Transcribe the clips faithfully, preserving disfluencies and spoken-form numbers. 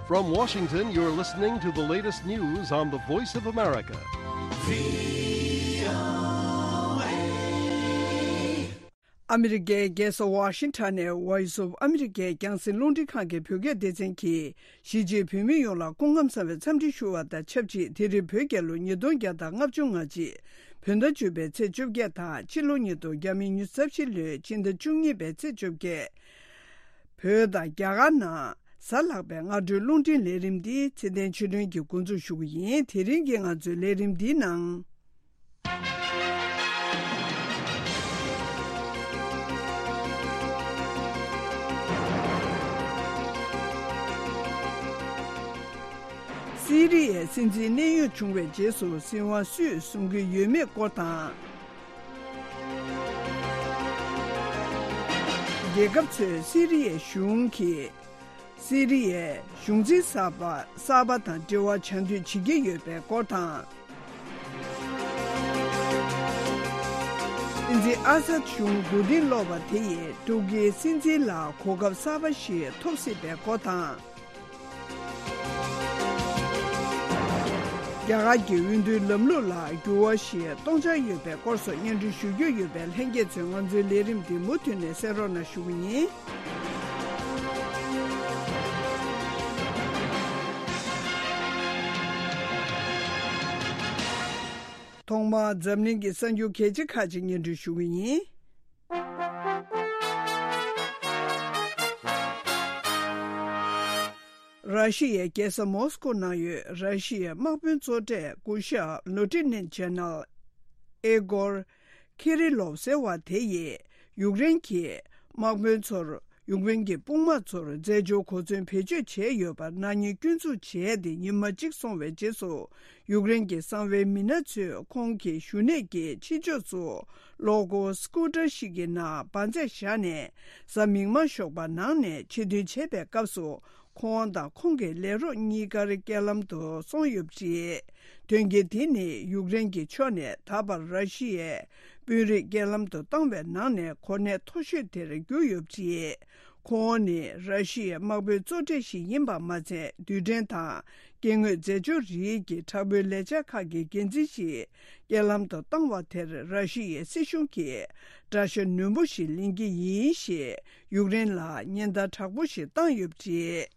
From Washington, you're listening to the latest news on the Voice of America. ཨ་མི་རི་ཀའི་རྒྱལ་ས་ཝ་ཤིང་ཊོན་ནས་Voice of America་རྒྱང་སྲིང་རླུང་འཕྲིན་ཁང་གི་བོད་སྐད་སྡེ་ཚན་གྱིས། གཞིས་བྱེས་བོད་མི་ཡོངས་ལ་སྐུ་ཁམས་བཟང་བའི་འཚམས་འདྲི་ཞུ་བ་དང་ཆབས་ཅིག་དེ་རིང་བོད་རྒྱལ་ལོ་ཉིས་སྟོང་བརྒྱ་དང་ལྔ་བཅུ་ང་གཅིག་བོད་ཟླ་བཅུ་པའི་ཚེས་བཅོ་བརྒྱད་དང་ཕྱི་ལོ་ཉིས་སྟོང་ཉི་ཤུ་རྩ་བཞི་ལོའི་ཕྱི་ཟླ་བཅུ་གཉིས་པའི་ཚེས་བཅོ་བརྒྱད། བོད་དང་རྒྱ་གར་ནང་གཟའ་ལྷག་པའི་སྔ་དྲོའི་རླུང་འཕྲིན་ལས་རིམ་འདི་ཚེ་བརྟན་ཆོས་སྒྲོན་གྱིས་འགོ་འཛུགས་ཞུ་གི་ཡིན། དེ་རིང་གི་ང་ཚོའི་ལས་རིམ་འདིའི་ནང་། སི་རི་ཡའི་སྲིད་འཛིན་གནས་དབྱུང་བྱུང་བའི་རྗེས་སུ་སྲིད་དབང་སུས་བཟུང་གི་ཡོད་མེད་སྐོར་དང་། རྒྱལ་ཁབ་ཚོས་སི་རི་ཡའི་གཞུང་གིས་སི་རི་ཡའི་གཞུང་འཛིན་གསར་པ་གསར་པ་དང་འབྲེལ་བ་བྱ་འདོད་བྱེད་ཀྱི་ཡོད་པའི་སྐོར་དང་། སྲིད་འཛིན་ཨ་སད་གཞུང་མགོ་རྟིང་སློག་པ་དེ་ཡིས་ཏུར་ཀིའི་སྲིད་འཛིན་ལ་གོ་སྐབས་གསར་པ་ཞིག་ཐོབ་སྲིད་པའི་སྐོར་དང་། རྒྱ་གར་གྱི་འོས་བསྡུའི་ལམ་ལུགས་ལ་འགྱུར་བ་ཞིག་གཏོང་འཆར་ཡོད་པའི་སྐོར་སོགས་སྙན་སྒྲོན་ཞུ་རྒྱུ་ཡོད་པས། ལྷན་རྒྱས་ཚོས་ང་ཚོའི་ལས་རིམ་འདི་མུ་མཐུད་ནས་གསན་རོགས་གནང་ཞུ་གི་ཡིན། ཐོག་མར་འཛམ་གླིང་གི་གསར་འགྱུར་གལ་ཆེ་ཁག་ཅིག་སྙན་སྒྲོན་ཞུ་གི་ཡིན། ར་ཤི་ཡའི་རྒྱལ་ས་མོ་སི་ཀོ་ནང་ཡོད་ར་ཤི་ཡའི་དམག་དཔོན་གཙོ་གྲས་སྐུ་ཞབས་ལོ་ཊི་ནན་ཇེ་ནལ་ཨེ་གོར་ཁི་རི་ལོབ་ཟེར་བ་དེ་ཡིས་ཡུཀ་རེན་གྱི་དམག་དཔོན་ཚོར་ཡུཀ་རེན་གྱི་དཔུང་དམག་ཚོར་རྫས་སྦྱོར་གོ་མཚོན་བེད་སྤྱོད་བྱས་ཡོད་པར་ནག་ཉེས་སྐྱོན་འཛུགས་བྱས་ཏེ་ཉི་མ་གཅིག་སོང་བའི་རྗེས་སུ། ཡུཀ་རེན་གྱི་གསང་བའི་མི་སྣ་ཚོས་ཁོང་གི་བཞུགས་གནས་ཀྱི་ཕྱི་ཕྱོགས་སུ་གློག་སྒོ་སི་ཀུ་ཊར་ཞིག་གི་ནང་འབར་རྫས་བཞག་ནས་གཟའ་མིག་དམར་ཞོགས་པ་ནང་ནས་ཕྱིར་འཐེན་བྱས་པའི་སྐབས་སུ། ཁོང་དང་ཁོང་གི་ལས་རོགས་གཉིས་ཀར་རྐྱེན་ལམ་དུ་སོང་ཡོད་པ་རེད། དོན་རྐྱེན་དེ་ནི་ཡུཀ་རེན་གྱི་ཕྱོགས་ནས་ད་བར་ར་ཤི་ཡའི་དཔོན་རིགས་རྐྱེན་ལམ་དུ་བཏང་བའི་ནང་ནས་གོ་གནས་མཐོ་ཤོས་དེར་གྱུར་ཡོད་པ་རེད། ཁོང་ནི་ར་ཤི་ཡའི་དམག་དཔོན་གཙོ་གྲས་ཤིག་ཡིན་པ་མ་ཚད། རྡུལ་ཕྲན་དང་སྐྱེ་དངོས་རྫས་སྦྱོར་རིགས་ཀྱི་དྲག་པོའི་ལས་འཆར་ཁག་གི་འགན་འཛིན་ཞིག་རྐྱེན་ལམ་དུ་བཏང་བ་དེར་ར་ཤི་ཡའི་སྲིད་གཞུང་གིས་དགྲ་ཤ་ནུས་པོ་ཞིག་ལེན་གྱི་ཡིན་ཞེས་ཡུཀ་རེན་ལ་ཉེན་བརྡ་དྲག་པོ་ཞིག་བཏང་ཡོད་པ་རེད།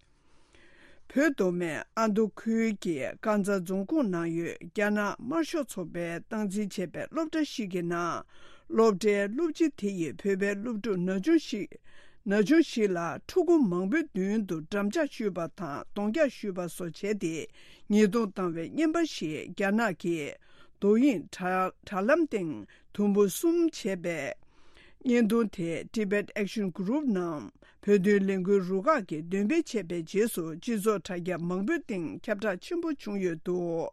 བོད་མདོ་སྨད་ཨ་མདོ་ཁུལ་གྱི་ཀན་ཛ་རྫོང་ཁོངས་ནང་ཡོད་རྒྱ་ནག་དམར་ཤོག་ཚོགས་པས་སྟངས་འཛིན་བྱས་པའི་སློབ་གྲྭ་ཞིག་གི་ནང་སློབ་གྲྭའི་སློབ་སྤྱི་དེ་ཡིས་བོད་པའི་སློབ་ཕྲུག་ན་ཆུང་ཞིག་ན་ཆུང་ཞིག་ལ་ཕྲུ་གུ་མང་པོའི་མདུན་དུ་འགྲམ་ལྕག་གཞུས་པ་དང་གདོང་རྒྱག་གཞུས་པ་སོགས་བྱས་ཏེ་ཉེས་རྡུང་བཏང་བའི་བརྙན་པར་ཞིག་རྒྱ་ནག་གི་རྡོ་དབྱིངས་དྲ་དྲ་ལམ་སྟེང་དུམ་བུ་གསུམ་བྱས་པའི་བརྙན་ཐུང་དེ་Tibet Action Group་ནམ་བོད་དོན་ལས་འགུལ་རུ་ཁག་གིས་འདོན་སྤེལ་བྱས་པའི་རྗེས་སུ་སྤྱི་ཚོགས་དྲ་རྒྱ་མང་པོའི་སྟེང་ཁྱབ་བསྒྲགས་ཆེན་པོ་བྱུང་ཡོད་འདུག་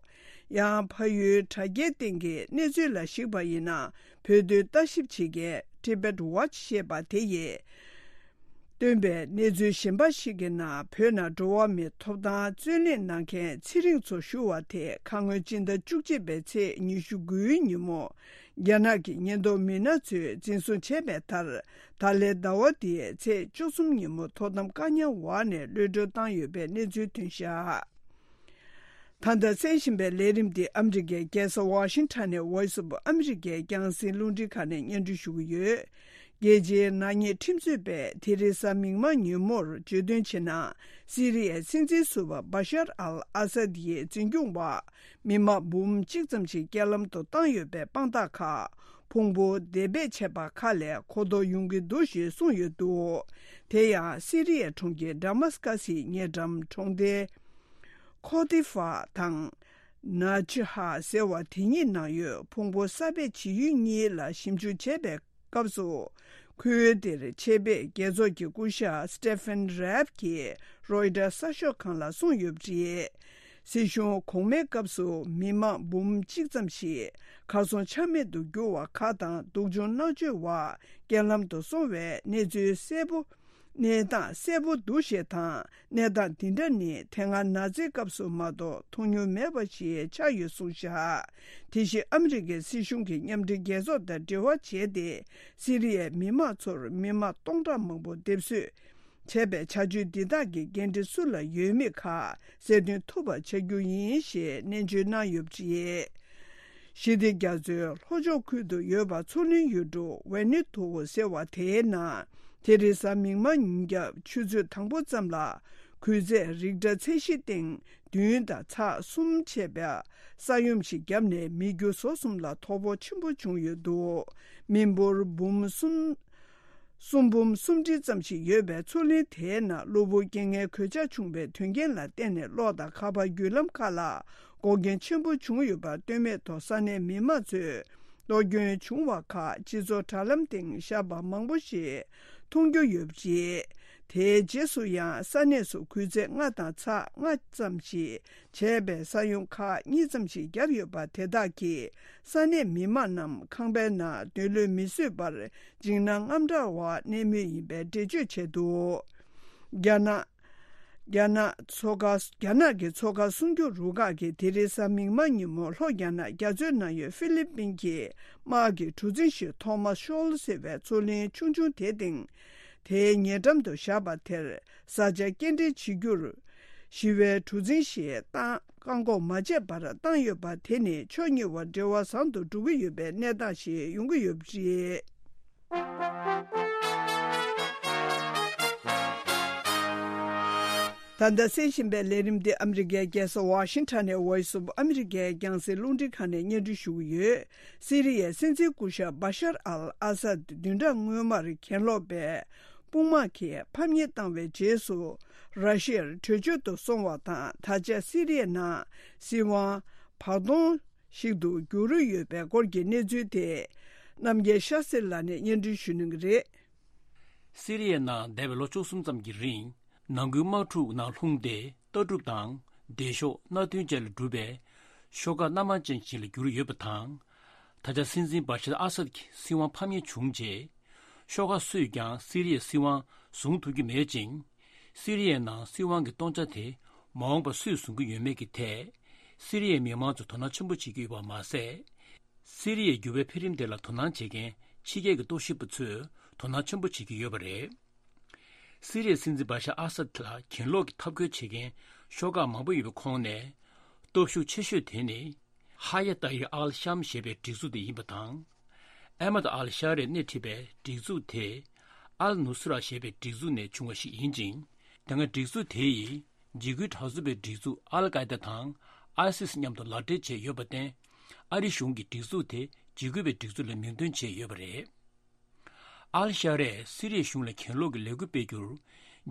ཡང་ཕ་ཡུལ་དྲ་རྒྱའི་སྟེང་གི་གནས་ཚུལ་ལ་གཞིགས་པ་ཡིན་ན། བོད་དོན་ལྟ་ཞིབ་བྱེད་མཁན་Tibet Watch་ཞེས་པ་དེ་ཡིས་བཏོན་པའི་གནས་ཚུལ་གཞན་པ་ཞིག་གི་ནང་། བོད་ནང་འགྲོ་བ་མིའི་ཐོབ་ཐང་རྩོད་ལེན་གནང་མཁན་ཚེ་རིང་མཚོ་ཞུ་བ་དེ་ཁ་སྔོན་སྤྱི་ཟླ་བཅུ་གཅིག་པའི་ཚེས་ཉི་ཤུ་དགུའི་ཉིན་མོ་རྒྱ་ནག་གི་ཉེན་རྟོག་མི་སྣ་ཚོས་འཛིན་བཟུང་བྱས་པའི་མཐར། ད་ལན་ཟླ་བ་འདིའི་ཚེས་བཅུ་གསུམ་ཉིན་མོ་ཐོག་མཐའ་བཀག་ཉར་འོག་ནས་གློད་གྲོལ་བཏང་ཡོད་པའི་གནས་ཚུལ་ཐོན་བཞག་ད་ལྟ་གསན་བཞིན་པའི་ལས་རིམ་འདི་ཨ་མི་རི་ཀའི་རྒྱལ་ས་ཝ་ཤིང་ཊོན་ནས་Voice of America་རྒྱང་སྲིང་རླུང་འཕྲིན་ཁང་ནས་སྙན་སྒྲོན་ཞུ་གི་ཡོད། རྒྱལ་སྤྱིའི་ནག་ཉེས་ཁྲིམས་རྩོད་པས་དེ་རིང་གཟའ་མིག་དམར་ཉིན་མོར་བརྗོད་དོན་བྱས་ན། སི་རི་ཡའི་སྲིད་འཛིན་ཟུར་པ་བ་ཤར་ཨལ་ཨ་སད་ཡི་འཛིན་སྐྱོང་འོག་མི་དམངས་འབུམ་གཅིག་ཙམ་ཞིག་རྐྱེན་ལམ་དུ་བཏང་ཡོད་པའི་དཔང་རྟགས་ཁག་ཕུང་པོ་འདེད་སྤེལ་བྱས་པ་ཁག་ལས་གོ་རྟོགས་ཡོང་གི་འདུག་ཞེས་གསུངས་ཡོད་འདུག་དེ་ཡང་སི་རི་ཡའི་གྲོང་ཁྱེར་ཌ་མཱ་སི་ཀ་སིའི་ཉེ་འགྲམ་གྲོང་སྡེ། ཁོ་ཏི་ཧྥ་དང་། ན་ཅི་ཧ་ཟེར་བ་དེ་གཉིས་ནང་ཡོད་ཕུང་པོ་གསར་སྦས་བྱེད་ཡུལ་གཉིས་ལ་ཞིབ་འཇུག་བྱས་པའི་སྐབས་སུ། ཁུལ་དེར་ཆེད་ཕེབས་རྒྱལ་ཚོགས་ཀྱི་སྐུ་ཞབས་Stephen Raab་གྱིས་Reuters་གསར་ཤོག་ཁང་ལ་གསུངས་ཡོད་པ་རེད། སྲིད་གཞུང་གོང་མའི་སྐབས་སུ་མི་དམངས་འབུམ་གཅིག་ཙམ་ཞིག་གར་སོང་ཆ་མེད་དུ་གྱུར་བ་ཁག་དང་། སྡུག་སྦྱོང་མནར་གཅོད་འོག་རྐྱེན་ལམ་དུ་སོང་བའི་གནས་ཚུལ་གསལ་པོ། གནས་སྟངས་གསལ་པོ་འདུག་ཞེས་དང་། གནས་སྟངས་འདི་འདྲ་ནི་དེ་སྔ་ནཱ་ཛིའི་སྐབས་སུ་མ་གཏོགས་མཐོང་མྱོང་མེད་པ་ཞིག་ཆགས་ཡོད་གསུངས་བཞག་དེ་བཞིན་ཨ་མི་རི་ཀའི་སྲིད་གཞུང་གིས་མཉམ་འབྲེལ་རྒྱལ་ཚོགས་དང་འབྲེལ་བ་བྱས་ཏེ། སི་རི་ཡའི་མི་དམངས་ཚོར་མི་དམངས་སྟོང་ཕྲག་མང་པོ་སྡེབ་གསོད་ བྱས་པའི་བྱ་སྤྱོད་འདི་དག་གི་འགན་འཁྲི་སུ་ལ་ཡོད་མེད་ཁག་གསལ་སྟོན་ཐུབ་པ་བྱ་རྒྱུ་ཡིན་ཞེས་ནན་བརྗོད་གནང་ཡོད་པ་རེད། ཞི་བདེ་རྒྱ་མཚོའི་ལྷོ་ཕྱོགས་ཁུལ་དུ་ཡོད་པ་མཚོ་གླིང་ཡུལ་གྲུ་ཝེ་ནི་ཐོ་ཟེར་བ་དེའི་ནང་དེ་རེས་གཟའ་མིག་དམར་ཉིན་རྒྱབ་ཆུ་ཚོད་དང་པོ་ཙམ་ལ་འགུལ་ཚད་རིག་ཊར་ཚད་གཞི་སྟེང་བདུན་དང་ཚེག་གསུམ་བྱས་པའི་ས་ཡོམ་ཞིག་བརྒྱབ་ནས་མི་རྒྱུ་ཟོག་གསུམ་ལ་དོ་ཕོག་ཆེན་པོ་བྱུང་ཡོད་འདུག་མི་འབོར་འབུམ་གསུམ། གསུམ་འབུམ་སུམ་ཁྲི་ཙམ་ཞིག་ཡོད་པའི་མཚོ་གླིང་དེའི་ནང་གློ་བུར་རྐྱེན་ངན་གོད་ཆག་བྱུང་བའི་དོན་རྐྱེན་ལ་བརྟེན་ནས་གློག་དང་ཁ་པར་བརྒྱུད་ལམ་ཁག་ལ་འགོག་རྐྱེན་ཆེན་པོ་བྱུང་ཡོད་པ་ལྟོས་མེད་ཐོག་ས་གནས་མི་མང་ཚོས་གློག་སྐྱོན་བྱུང་བ་ཁག་སྤྱི་ཚོགས་དྲ་ལམ་སྟེང་བཞག་པ་མང་པོ་ཞིག་མཐོང་རྒྱུ་ཡོད་པ་རེད། དེའི་རྗེས་སུ་ཡང་ས་གནས་སུ་འགུལ་ཚད་ལྔ་དང་ཚེག་ལྔ་ཙམ་ཞིག་བྱས་པའི་ས་ཡོམ་ཁག་གཉིས་ཙམ་ཞིག་བརྒྱབ་ཡོད་པ་དེ་དག་གིས་ས་གནས་མི་མང་རྣམས་ཁང་པའི་ནང་སྡོད་ལུགས་མི་བཟོད་པར་འཇིགས་སྣང་དངངས་སྐྲག་འོག་གནས་མུས་ཡིན་པའི་འགྲེལ་བརྗོད་བྱས་འདུག་རྒྱ་ནག་རྒྱ་ནག་མཚོ་ཁ། རྒྱ་ནག་གི་མཚོ་ཁ་སྲུང་སྐྱོབ་རུ་ཁག་གིས་དེ་རིང་གཟའ་མིག་དམར་ཉིན་མོ་ལྷོ་རྒྱ་ནག་རྒྱ་མཚོའི་ནང་ཡོད་ཧྥི་ལི་པིན་གྱི་དམག་གི་གྲུ་གཟིངས་ཤིག་ཐོ་མཱ་ཤོལ་ཟེར་བའི་མཚོ་གླིང་ཆུང་ཆུང་དེ་སྟེང་། དེའི་ཉེ་འགྲམ་དུ་བཞག་པ་དེར་བཟའ་བཅའ་སྐྱེལ་འདྲེན་བྱེད་རྒྱུར། ཞི་བའི་གྲུ་གཟིངས་ཤིག་བཏང་བཀག་འགོག་མ་བྱས་པར་བཏང་ཡོད་པ་དེ་ནི་ཕྱོགས་གཉིས་བར་འབྲེལ་བ་བཟང་དུ་འགྲོ་གི་ཡོད་པའི་གནས་སྟངས་ཤིག་ཡོང་གི་ཡོད་པ་རེད། ད་ལྟ་གསན་བཞིན་པའི་ལས་རིམ་འདི་ཨ་མི་རི་ཀའི་རྒྱལ་ས་ཝ་ཤིང་ཊོན་ནས་Voice of America རྒྱང་སྲིང་རླུང་འཕྲིན་ཁང་ནས་སྙན་སྒྲོན་ཞུ་གི་ཡོད། སི་རི་ཡའི་སྲིད་འཛིན་སྐུ་ཞབས་བ་ཤར་ཨལ་ཨ་སད་བདུན་ཕྲག་སྔོན་མར་གྱེན་ལོག་པའི་དཔུང་དམག་གིས་ཕམ་ཉེས་བཏང་བའི་རྗེས་སུ། ར་ཤི་ཡར་བྲོས་བྱོལ་དུ་སོང་བ་དང་། ད་ཆ་སི་རི་ཡའི་ནང་སྲིད་དབང་བར་སྟོང་ཞིག་ཏུ་འགྱུར་ཡོད་པའི་སྐོར་གྱི་གནས་ཚུལ་དེ། རྣམ་རྒྱལ་ཤཱ་སེ་ལགས་ནས་སྙན་སྒྲོན་ཞུ་གནང་གི་རེད། སི་རི་ཡའི་ནང་འདས་པའི་ལོ་བཅུ་གསུམ་ཙམ་གྱི་རིང་ནང་ཁུལ་དམག་འཁྲུག་ནང་ལྷུང་སྟེ། ལྟ་གྲུབ་དང་། བདེ་ཤོག་མནའ་མཐུན་བཅས་ལས་གྲུབ་པའི་ཤོག་ཁག་སྣ་མང་ཅན་ཞིག་ལ་གྱུར་ཡོད་པ་དང་། ད་ཆ་སྲིད་འཛིན་བ་ཤར་ཨ་སད་ཀྱི་སྲིད་དབང་ཕམ་ཉེས་བྱུང་རྗེས། ཤོག་ཁག་སུས་ཀྱང་སི་རི་ཡའི་སྲིད་དབང་བཟུང་ཐུབ་ཀྱི་མེད་ཅིང་། སི་རི་ཡའི་ནང་སྲིད་དབང་གི་སྟོང་ཆ་དེ་མ་འོངས་པར་སུས་བཟུང་གི་ཡོད་མེད་ཀྱི་ཐད། སི་རི་ཡའི་མི་མང་ཚོས་དོ་སྣང་ཆེན་པོ་བྱེད་ཀྱི་ཡོད་པ་མ་ཟད། སི་རི་ཡའི་འགྱུར་བའི་འཕེལ་རིམ་དེ་ལ་དོ་སྣང་བྱེད་མཁན་ཕྱི་རྒྱལ་གྱི་རྟོག་ཞིབ་པ་ཚོས་དོ་སྣང་ཆེན་པོ་བྱེད་ཀྱི་ཡོད་པ་རེད། སི་རི་ཡའི་སྲིད་འཛིན་བ་ཤར་ཨ་སད་ལ་གྱེན་ལོག་གི་འཐབ་རྒོལ་བྱེད་མཁན་ཤོག་ཁག་མང་པོ་ཡོད་པའི་ཁོངས་ནས། སྟོབས་ཤུགས་ཆེ་ཤོས་དེ་ནི། ཧ་ཡ་ཏཱ་ཡིར་ཨལ་ཤམ་ཞེས་པའི་སྒྲིག་འཛུགས་དེ་ཡིན་པ་དང་། ཨེ་མད་ཨལ་ཤ་རས་སྣེ་ཁྲིད་པའི་སྒྲིག་འཛུགས་དེ། ཨལ་ནུ་སི་ར་ཞེས་པའི་སྒྲིག་འཛུགས་ནས་བྱུང་བ་ཞིག་ཡིན་ཅིང་། དེ་སྔ་སྒྲིག་འཛུགས་དེ་ཡིས། འཇིགས་སྐུལ་དྲག་རྩུབ་པའི་སྒྲིག་འཛུགས་ཨལ་ཀའི་ད་དང་། ཨའི་སིས་མཉམ་དུ་ལག་འབྲེལ་བྱས་ཡོད་པར་བརྟེན། ཨ་རི་གཞུང་གིས་སྒྲིག་འཛུགས་དེ་འཇིགས་སྐུལ་བའི་སྒྲིག་འཛུགས་ལ་མིང་འདོན་བྱས་ཡོད་པ་རེད། ཨལ་ཤ་རས་སི་རི་ཡའི་གཞུང་ལ་གྱེན་ལོག་གི་ལས་འགུལ་སྤེལ་རྒྱུར།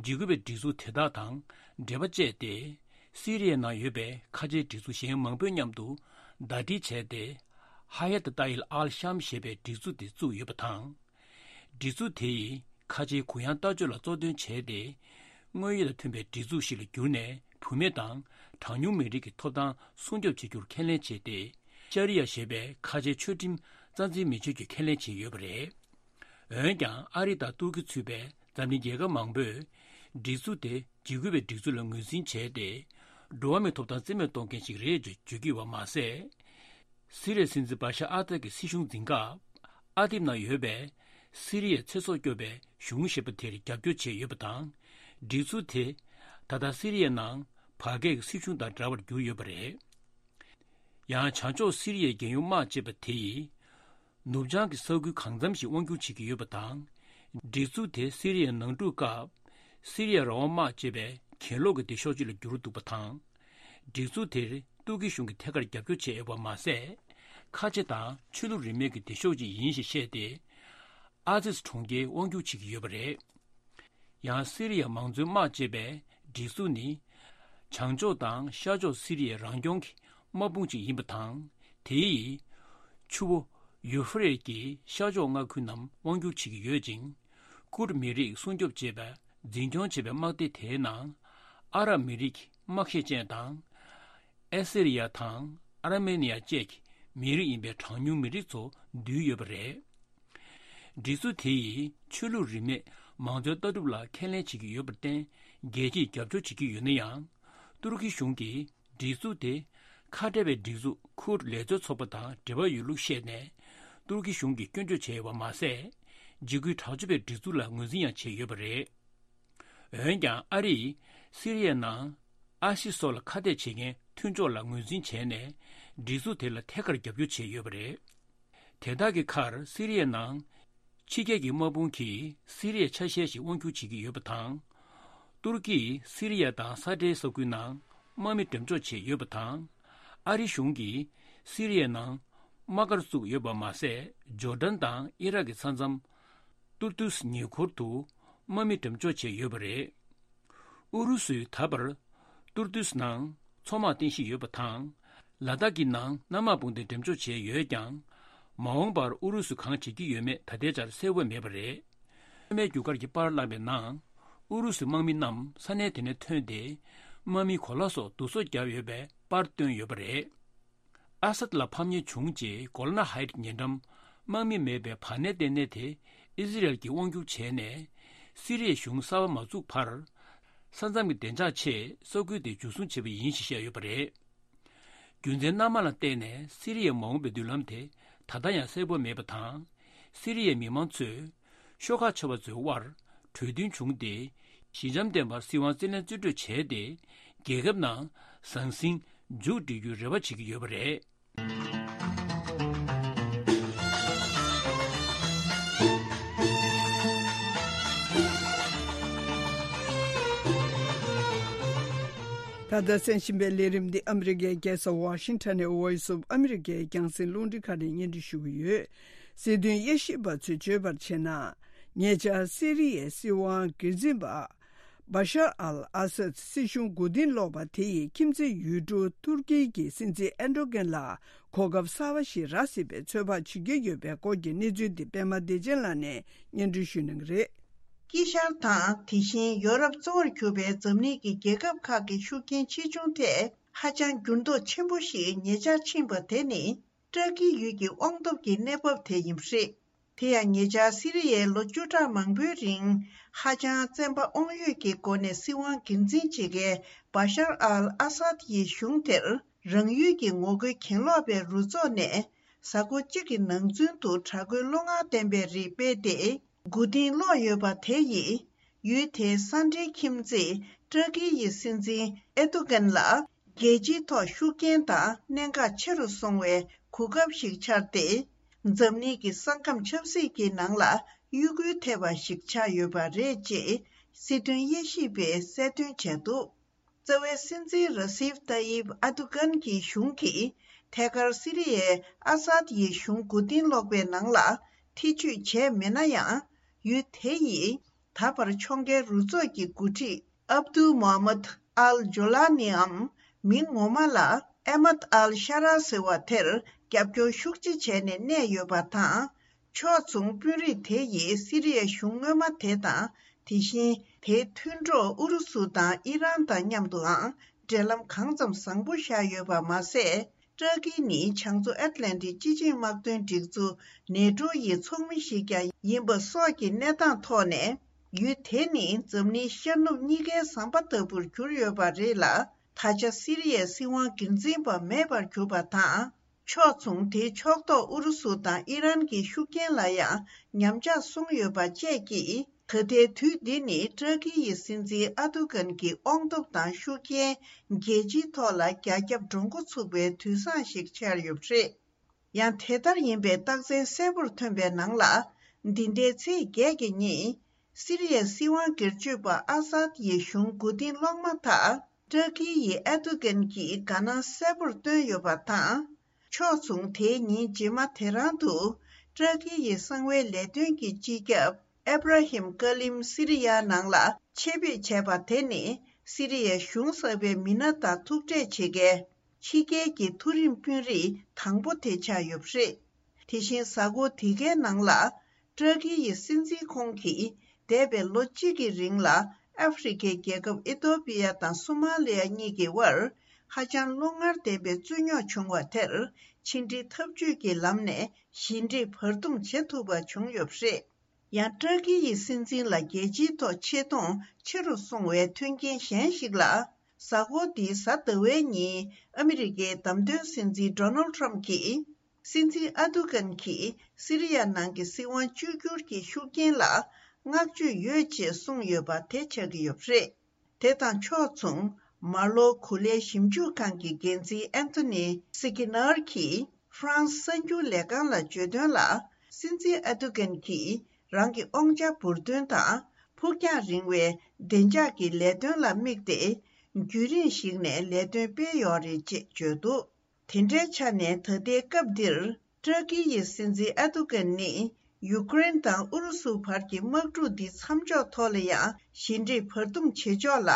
འཇིགས་སྐུལ་བའི་སྒྲིག་འཛུགས་དེ་དག་དང་འབྲེལ་བ་བཅད་དེ། སི་རི་ཡའི་ནང་ཡོད་པའི་ཁ་ཆེའི་སྒྲིག་འཛུགས་གཞན་མང་པོའི་མཉམ་དུ་ཟླ་སྒྲིལ་བྱས་ཏེ། ཧ་ཡ་ཏི་ཏཱ་ཡིལ་ཨལ་ཤམ་ཞེས་པའི་སྒྲིག་འཛུགས་དེ་བཙུགས་ཡོད་པ་དང་། སྒྲིག་འཛུགས་དེ་ཡིས་ཁ་ཆེའི་གུ་ཡངས་ལྟ་སྤྱོད་ལ་གཙོ་འདོན་བྱས་ཏེ། དངོས་ཡོད་དང་མཐུན་པའི་སྒྲིག་འཛུགས་ཤིག་ལ་གྱུར་ནས། བུད་མེད་དང་གྲངས་ཉུང་མི་རིགས་ཀྱི་ཐོབ་ཐང་སྲུང་སྐྱོབ་བྱེད་རྒྱུར་ཁས་ལེན་བྱས་ཏེ། ཤ་རི་ཡ་ཞེས་པའི་ཁ་ཆེའི་ཆོས་ཁྲིམས་རྩ་འཛིན་མི་ཆོག་རྒྱུའི་ཁས་ལེན་བྱས་ཡོད་པ་རེད། འོན་ཀྱང་། ཨ་རི་དང་ཏུར་ཀི་ཚུད་པའི་འཛམ་གླིང་རྒྱལ་ཁབ་མང་པོས། སྒྲིག་འཛུགས་དེ་འཇིགས་སྐུལ་བའི་སྒྲིག་འཛུགས་ལ་ངོས་འཛིན་བྱས་ཏེ། འགྲོ་བ་མིའི་ཐོབ་ཐང་རྩིས་མེད་གཏོང་མཁན་ཞིག་རེད་ཅེས་བརྗོད་ཀྱི་ཡོད་པ་མ་ཟད། སི་རི་ཡའི་སྲིད་འཛིན་བ་ཤར་ཨ་སད་ཀྱི་སྲིད་གཞུང་འཛིན་སྐབས། ཨ་དིབ་ནང་ཡོད་པའི་སི་རི་ཡའི་ཚེ་སྲོག་སྐྱོབ་པའི་གཞུང་ཞེས་པ་དེར་རྒྱབ་སྐྱོར་བྱས་ཡོད་པ་དང་། སྒྲིག་འཛུགས་དེ་ད་ལྟ་སི་རི་ཡའི་ནང་བར་བརྒལ་གྱི་སྲིད་གཞུང་དང་འདྲ་བར་གྱུར་ཡོད་པ་རེད། ཡང་། བྱང་ཕྱོགས་སི་རི་ཡའི་རྒྱལ་ཡོངས་དམག་ཅེས་པ་དེ་ཡིས། ནུབ་བྱང་གི་ས་ཁུལ་གང་འཚམ་ཞིག་དབང་སྒྱུར་བྱེད་ཀྱི་ཡོད་པ་དང་། སྒྲིག་འཛུགས་དེ་སི་རི་ཡའི་ནང་འཁྲུག་སྐབས། སི་རི་ཡའི་རང་དབང་དམག་ཅེས་པའི་གྱེན་ལོག་གི་སྡེ་ཤོག་ཅིག་ལ་གྱུར་འདུག་པ་དང་། སྒྲིག་འཛུགས་དེར་ཏུར་ཀི་གཞུང་གིས་ཐད་ཀར་རྒྱབ་སྐྱོར་བྱས་ཡོད་པ་མ་ཟད། ཁ་ཆེ་དང་ཆོས་ལུགས་རིས་མེད་ཀྱི་སྡེ་ཤོག་ཅིག་ཡིན་ཞེས་བཤད་དེ། ཨ་ཛིས་གྲོང་ཁྱེར་དབང་སྒྱུར་བྱེད་ཀྱི་ཡོད་པ་རེད། ཡང་། སི་རི་ཡ་མང་གཙོའི་དམག་ཅེས་པའི་སྒྲིག་འཛུགས་ནི། བྱང་ཕྱོགས་དང་ཤར་ཕྱོགས་སི་རི་ཡའི་རང་སྐྱོང་གི་དམག་དཔུང་ཅིག་ཡིན་པ་དང་། དེ་ཡིས། ཆུ་བོ་ཡུ་ཧྥེ་རེད་ཀྱི་ཤར་ཕྱོགས་མངའ་ཁུལ་རྣམས་དབང་སྒྱུར་བྱེད་ཀྱི་ཡོད་ཅིང་། ཀུར་མི་རིགས་སྲུང་སྐྱོབ་ཅེས་པའི་འཛིན་སྐྱོང་བྱེད་པའི་དམག་སྡེ་དེའི་ནང་། ཨ་རབ་མི་རིགས་དམག་ཤེད་ཅན་དང་། ཨེ་སི་རི་ཡ་དང་ཨར་མེ་ནི་ཡ་བཅས་ཀྱི་མི་རིགས་ཡིན་པའི་གྲངས་ཉུང་མི་རིགས་ཚོ་འདུས་ཡོད་པ་རེད། སྒྲིག་འཛུགས་དེ་ཡིས་ཆོས་ལུགས་རིས་མེད་མང་གཙོའི་ལྟ་གྲུབ་ལ་ཁས་ལེན་བྱེད་ཀྱི་ཡོད་པར་བརྟེན། རྒྱལ་སྤྱིས་རྒྱབ་སྐྱོར་བྱེད་ཀྱི་ཡོད་ན་ཡང་། ཏུར་ཀི་གཞུང་གིས་སྒྲིག་འཛུགས་དེ་ཁ་བྲལ་བའི་སྒྲིག་འཛུགས་ཁུར་ལེ་ཚོའི་ཚོགས་པ་དང་འབྲེལ་བ་ཡོད་ལུགས་བཤད་ནས། ཏུར་ཀི་གཞུང་གིས་སྐྱོན་བརྗོད་བྱས་ཡོད་པ་མ་ཟད། འཇིགས་སྐུལ་དྲག་སྤྱོད་པའི་སྒྲིག་འཛུགས་ལ་ངོས་འཛིན་ཡང་བྱས་ཡོད་པ་རེད། འོན་ཀྱང་ཨ་རིས་སི་རི་ཡའི་ནང་ཨ་སི་སོགས་ལ་ཁ་གཏད་བྱེད་མཁན་མཐུན་ཕྱོགས་ལ་ངོས་འཛིན་བྱས་ནས་སྒྲིག་འཛུགས་དེ་ལ་ཐད་ཀར་རྒྱབ་སྐྱོར་བྱས་ཡོད་པ་རེད། དེ་དག་གི་ཁར་སི་རི་ཡའི་ནང་ཕྱི་རྒྱལ་གྱི་དམག་དཔུང་གིས་སི་རི་ཡའི་ཆ་ཤས་ཤིག་དབང་སྒྱུར་བྱེད་ཀྱི་ཡོད་པ་དང་། ཏུར་ཀིས་སི་རི་ཡ་དང་ས་འབྲེལ་ས་ཁུལ་ནང་དམག་མི་འགྲེམས་འཇོག་བྱས་ཡོད་པ་དང་། ཨ་རི་གཞུང་གིས་སི་རི་ཡའི་ནང་དམག་སྒར་བཙུགས་ཡོད་པ་མ་ཟད། ཇོར་ཌན་དང་ཨི་རག་གི་ས་མཚམས་ཏུར་ཏུས་ཉེ་འཁོར་དུ་དམག་མི་འགྲེམས་འཇོག་བྱས་ཡོད་པ་རེད། ཨུ་རུ་སུས་ད་བར་ཏུར་ཏུས་ནང་མཚོ་དམག་རྟེན་གཞི་ཡོད་པ་དང་། ལ་དྭགས་ཀྱི་ནང་གནམ་དམག་དཔུང་སྡེ་འགྲེམས་འཇོག་བྱས་ཡོད་ཀྱང་། མ་འོངས་པར་ཨུ་རུ་སུས་གང་བྱེད་ཀྱི་ཡོད་མེད་ད་ལྟའི་ཆར་གསལ་པོ་མེད་པ་རེད། མཚོ་སྨད་རྒྱུག་སྒར་གྱི་པར་བླངས་པའི་ནང་། ཨུ་རུ་སུའི་དམག་མི་རྣམས་ས་གནས་དེ་ནས་ཐོན་ཏེ། དམག་མི་གོ་ལ་སོགས་སྡུག་གསོག་བརྒྱབ་ཡོད་པའི་པར་བཏོན་ཡོད་པ་རེད། ཨ་སད་ལ་ཕམ་ཉེས་བྱུང་རྗེས་གོ་ལ་ན་ཧའེ་ཊི་ཉེ་འགྲམ་དམག་མི་མེད་པའི་བར་གནས་ལྟེ་གནས་དེ་ཨི་ཟི་རལ་གྱིས་དབང་བསྒྱུར་བྱས་ནས། སི་རི་ཡའི་གཞུང་གསར་པ་མ་བཙུགས་བར། ས་མཚམས་ཀྱི་བདེ་འཇགས་ཆེད་ས་ཁུལ་དེ་འཇུ་བཟུང་བྱས་པ་ཡིན་ཞེས་བཤད་ཡོད་པ་རེད། རྒྱུ་མཚན་སྣ་མང་ལ་བརྟེན་ནས་སི་རི་ཡའི་མ་འོངས་པའི་མདུན་ལམ་དེ་ད་ལྟ་ཡང་གསལ་པོ་མེད་པ་དང་། སི་རི་ཡའི་མི་མང་ཚོས་ཤོག་ཁག་ཆེ་བ་ཚོའི་དབར་གྲོས་མཐུན་བྱུང་སྟེ། ཞི་འཇམ་ལྡན་པར་སྲིད་དབང་རྩིས་ལེན་རྩིས་སྤྲོད་བྱས་ཏེ། རྒྱལ་ཁབ་ནང་ཟང་ཟིང་མཇུག་སྒྲིལ་རྒྱུའི་རེ་བ་བྱེད་ཀྱི་ཡོད་པ་རེད། ད་ལྟ་གསན་བཞིན་པའི་ལས་རིམ་འདི་ཨ་མི་རི་ཀའི་རྒྱལ་ས་ཝ་ཤིང་ཊོན་ནས་Voice of America རྒྱང་སྲིང་རླུང་འཕྲིན་ཁང་ནས་སྙན་སྒྲོན་ཞུ་གི་ཡོད། སྲིད་དོན་དབྱེ་ཞིབ་པ་ཚོས་བརྗོད་པར་བྱས་ན། ཉེ་ཆར་སི་རི་ཡའི་སྲིད་དབང་སྒེར་འཛིན་པ། བ་ཤར་ཨལ་ཨ་སད་སྲིད་གཞུང་མགོ་རྟིང་སློག་པ་དེ་ཡིས་ཁྱིམ་མཚེས་ཡུལ་གྲུ་ཐུར་ཀི་གི་སྲིད་འཛིན་ཨེར་ཌོ་གྷན་ལ་གོ་སྐབས་གསར་པ་ཞིག་རག་སྲིད་པའི་ཚོད་དཔག་བྱེད་ཀྱི་ཡོད་པའི་སྐོར་གྱི་གནས་ཚུལ་འདི་པད་མ་བདེ་ཆེན་ལགས་ནས་སྙན་སྒྲོན་ཞུ་གནང་གི་རེད། དཀྱིལ་ཤར་དང་དེ་བཞིན་ཡོ་རོབ་གཙོ་བོར་གྱུར་པའི་འཛམ་གླིང་གི་རྒྱལ་ཁབ་ཁག་གི་ཤུགས་རྐྱེན་ཆེ་ཆུང་ཐད་ཧ་ཅང་འགྱུར་ལྡོག་ཆེན་པོ་ཞིག་ཉེ་ཆར་ཕྱིན་པ་དེ་ནི། ཏྲ་ཀི་ཡུལ་གྱི་དབང་སྟོབས་ཀྱི་གནས་བབ་དེ་ཡིན་པ་རེད། དེ་ཡང་ཉེ་ཆར་སི་རི་ཡའི་ལོ་བཅུ་ཕྲག་མང་པོའི་རིང་ཧ་ཅང་བཙན་པ་དབང་ཡོད་ཀྱི་སྒོ་ནས་སྲིད་དབང་སྒེར་འཛིན་བྱེད་མཁན་བ་ཤར་ཨལ་ཨ་སཱད་ཡི་གཞུང་དེར་རང་ཡུལ་གྱི་ངོ་རྒོལ་གྱེན་ལོག་པའི་རུ་ཚོགས་ནས་གཟའ་འཁོར་གཅིག་གི་ནང་ཚུན་དུ་དྲག་རྒོལ་བློ་ངར་ལྡན་པའི་རིགས་སྤེལ་ཏེ་མགོ་རྟིང་སློག་ཡོད་པ་དེ་ཡིས་ཡུལ་དེའི་ས་འབྲེལ་ཁྱིམ་མཚེས་ཏྲ་ཀི་ཡི་སྲིད་འཛིན་ཨེར་ཏུ་གན་ལ། རྒྱལ་སྤྱིའི་ཐོག་ཤུགས་རྐྱེན་དང་གནད་འགག་ཆེ་རུ་སོང་བའི་གོ་སྐབས་ཤིག་ཆགས་ཏེ། འཛམ་གླིང་གི་ས་ཁམས་ཆབ་སྲིད་ཀྱི་ནང་ལ་གཡོ་འགུལ་ཐེབས་པ་ཞིག་ཆགས་ཡོད་པ་རེད་ཅེས་སྲིད་དོན་དབྱེ་ཞིབ་པས་གསལ་སྟོན་བྱས་འདུག་རྩ་བའི་སྲིད་འཛིན་ར་སིབ་ཏཱ་ཡིབ་ཨ་ཏུ་གན་གྱི་གཞུང་གིས་ཐད་ཀར་སི་རི་ཡའི་ཨ་སཱད་ཡི་གཞུང་མགོ་རྟིང་སློག་པའི་ནང་ལ་ཐེ་བྱུས་བྱས་མེད་ན་ཡང་། ཡུལ་དེ་ཡིས་ད་བར་ཕྱོགས་འགལ་རུ་ཚོགས་ཀྱི་འགོ་ཁྲིད་ཨབ་ཏུ་མོ་ཧམ་མད་ཨལ་ཇོ་ལ་ནི་འམ། མིང་ངོ་མ་ལ་ཨེ་མད་ཨལ་ཤ་ར་ཟེར་བ་དེར་རྒྱབ་སྐྱོར་ཤུགས་ཆེ་བྱས་ནས་གནས་ཡོད་པ་དང་། ཕྱོགས་མཚུངས་དཔོན་རིགས་དེ་ཡིས་སི་རི་ཡའི་གཞུང་སྔོན་མ་དེ་དང་། དེ་བཞིན་དེའི་མཐུན་གྲོགས་ཨུ་རུ་སུ་དང་ཨི་རན་དང་མཉམ་དུའང་འབྲེལ་ལམ་གང་ཙམ་བཟང་པོ་བཞག་ཡོད་པ་མ་ཟད། ཏྲ་ཀི་ནི་བྱང་མཚོ་ཨེཊ་ལན་ཊིག་སྤྱི་ཆིངས་དམག་དོན་སྒྲིག་འཛུགས་ནེ་ཏྲོ་ཡི་ཚོགས་མི་ཞིག་ཀྱང་ཡིན་པ་སོགས་ཀྱི་གནས་སྟངས་ཐོག་ནས། ཡུལ་དེ་ནི་འཛམ་གླིང་ཤར་ནུབ་གཉིས་ཀའི་ཟམ་པ་ལྟ་བུར་གྱུར་ཡོད་པ་རེད་ལ། ད་ཆ་སི་རི་ཡའི་སྲིད་དབང་སྒེར་འཛིན་པ་མེད་པར་གྱུར་པ་དང་། ཕྱོགས་མཚུངས་དེའི་ཕྱོགས་གཏོགས་ཨུ་རུ་སུ་དང་ཨི་རན་གྱི་ཤུགས་རྐྱེན་ལ་ཡང་ཉམས་ཆག་སོང་ཡོད་པ་བཅས་ཀྱིས། ད་ལྟའི་དུས་འདི་ནི་ཏྲ་ཀི་ཡི་སྲིད་འཛིན་ཨ་ཏུ་གན་གྱི་དབང་སྟོབས་དང་ཤུགས་རྐྱེན་རྒྱལ་སྤྱིའི་ཐོག་ལ་རྒྱ་ཁྱབ་འགྲོ་འགོ་ཚུགས་པའི་དུས་བཟང་ཞིག་ཆགས་ཡོད་པ་རེད། ཡང་དེ་ལྟར་ཡིན་པའི་རྟགས་མཚན་གསལ་པོར་ཐོན་པའི་ནང་ལ། འདི་ཟླའི་ཚེས་བརྒྱད་ཀྱི་ཉིན། སི་རི་ཡའི་སྲིད་དབང་སྒེར་གཅོད་པ་ཨ་སཱད་ཡི་གཞུང་མགོ་རྟིང་སློག་མ་ཐག་ཏྲ་ཀི་ཡི་ཨེར་ཏུ་གན་གྱིས་དགའ་སྣང་གསལ་པོར་བཏོན་ཡོད་པ་དང་། ཕྱོགས་མཚུངས་དེའི་ཉིན་རྗེས་མ་དེ་རང་དུ། ཏྲ་ཀི་ཡི་གསང་བའི་ལས་དོན་གྱི་སྤྱི་ཁྱབ་ཨེབ་ར་ཧིམ་ཀ་ལིམ་སི་རི་ཡ་ནང་ལ་ཆེད་ཕེབས་བྱས་པ་དེ་ནི། སི་རི་ཡའི་གཞུང་གསར་པའི་མི་སྣ་དང་ཐུག་འཕྲད་བྱེད་མཁན་ཕྱི་རྒྱལ་གྱི་མཐོ་རིམ་དཔོན་རིགས་དང་པོ་དེ་ཆགས་ཡོད་པ་རེད། དེ་བཞིན་གཟའ་འཁོར་འདི་གའི་ནང་ལ། ཏྲ་ཀི་ཡི་སྲིད་འཛིན་ཁོང་གིས་འདས་པའི་ལོ་གཅིག་གི་རིང་ལ་ཨ་ཧྥེ་རི་ཁའི་རྒྱལ་ཁབ་ཨི་ཏོ་པི་ཡ་དང་སོ་མ་ལི་ཡ་གཉིས་ཀྱི་དབར་ཧ་ཅང་བློ་ངར་ལྡན་པའི་རྩོད་རྙོག་བྱུང་བ་དེར་ཕྱི་འབྲེལ་འཐབ་ཇུས་ཀྱི་ལམ་ནས་ཞི་འགྲིག་བར་འདུམ་བྱེད་ཐུབ་པ་བྱུང་ཡོད་པ་རེད། ཡང་ཏྲ་ཀི་ཡི་སྲིད་འཛིན་ལ་རྒྱལ་སྤྱིའི་ཐོག་ཆེ་མཐོང་ཆེ་རུ་སོང་བའི་མཐུན་རྐྱེན་གཞན་ཞིག་ལ། གཟའ་འཁོར་འདིའི་གཟའ་ཟླ་བའི་ཉིན་ཨ་མི་རི་ཀའི་བདམས་ཐོན་སྲིད་འཛིན་ཌོ་ནལ་ཊམ་གྱིས། སྲིད་འཛིན་ཨ་ཏུ་གན་གྱིས་སི་རི་ཡ་ནང་གི་སྲིད་དབང་བཅོས་བསྒྱུར་གྱི་ཤུགས་རྐྱེན་ལ་ བསྔགས་བརྗོད་ཡོད་ཅེས་གསུངས་ཡོད་པ་དེ་ཆགས་ཀྱི་ཡོད་པ་རེད། དེ་དང་ཕྱོགས་མཚུངས། མར་ལོ་གུ་ལའི་ཞིབ་འཇུག་ཁང་གི་འགན་འཛིན་ཨན་ཐོ་ནི་སི་ཀི་ནར་གྱིས། ཧྥ་རན་སི་གསར་འགྱུར་ལས་ཁང་ལ་བརྗོད་དོན་ལ། སྲིད་འཛིན་ཨར་ཏུ་གན་གྱིས་རང་གི་དབང་ཆ་འབུར་འདོན་དང་། ཕུགས་རྒྱང་རིང་བའི་བདེ་འཇགས་ཀྱི་ལས་དོན་ལ་དམིགས་ཏེ། རྒྱུན་རིང་ཞིག་ནས་ལས་དོན་སྤེལ་ཡོད་རེད་ཅེས་བརྗོད་འདུག་དེ་འདྲའི་ཆ་ནས་ད་ལྟའི་སྐབས་འདིར། ཏུར་ཀི་ཡི་སྲིད་འཛིན་ཨར་ཏུ་གན་ནི། ཡུ་ཀེ་རེན་དང་ཨུ་རུ་སུ་བར་གྱི་དམག་འཁྲུག་འདི་མཚམས་འཇོག་ཐོག་ལ་ཡང་། ཞི་འགྲིག་བར་འདུམ་བྱེད་ཕྱོགས་ལ།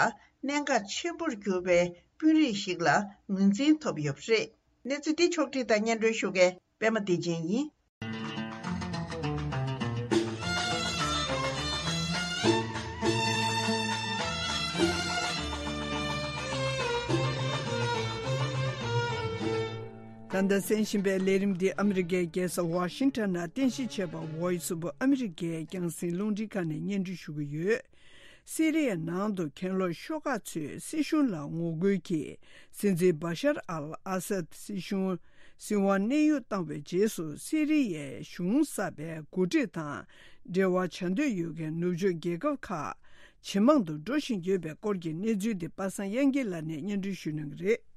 གནད་འགག་ཆེན་པོར་གྱུར་པའི་དཔོན་རིགས་ཤིག་ལ་ངོས་འཛིན་ཐོབ་ཡོད་པ་རེད། གནས་ཚུལ་འདི་ཕྱོགས་བསྒྲིགས་དང་སྙན་སྒྲོན་ཞུ་མཁན་པད་མ་བདེ་ཆེན་ཡིན། ད་ལྟ་གསན་བཞིན་པའི་ལས་རིམ་འདི་ཨ་མི་རི་ཀའི་རྒྱལ་ས་ཝ་ཤིང་ཊོན་ནང་རྟེན་གཞི་བྱས་པ་Voice of America རྒྱང་སྲིང་རླུང་འཕྲིན་ཁང་ནས་སྙན་སྒྲོན་ཞུ་གི་ཡོད། སི་རི་ཡའི་ནང་དུ་གྱེན་ལོག་ཤོག་ཁག་ཚོས་སྲིད་གཞུང་ལ་ངོ་རྒོལ་གྱིས་སྲིད་འཛིན་བྷ་ཤར་ཨལ་ཨ་སད་སྲིད་གཞུང་སྲིད་དབང་གནས་དབྱུང་བཏང་བའི་རྗེས་སུ། སི་རི་ཡའི་གཞུང་གསར་པའི་འགོ་ཁྲིད་དང་འབྲེལ་བ་བྱ་འདོད་ཡོད་མཁན་ནུབ་ཕྱོགས་རྒྱལ་ཁབ་ཁག་ཇེ་མང་དུ་འགྲོ་བཞིན་ཡོད་པའི་སྐོར་གྱི་གནས་ཚུལ་འདི་པ་སངས་དབྱངས་སྐྱིད་ལགས་ནས་སྙན་སྒྲོན་ཞུ་གནང་གི་རེད།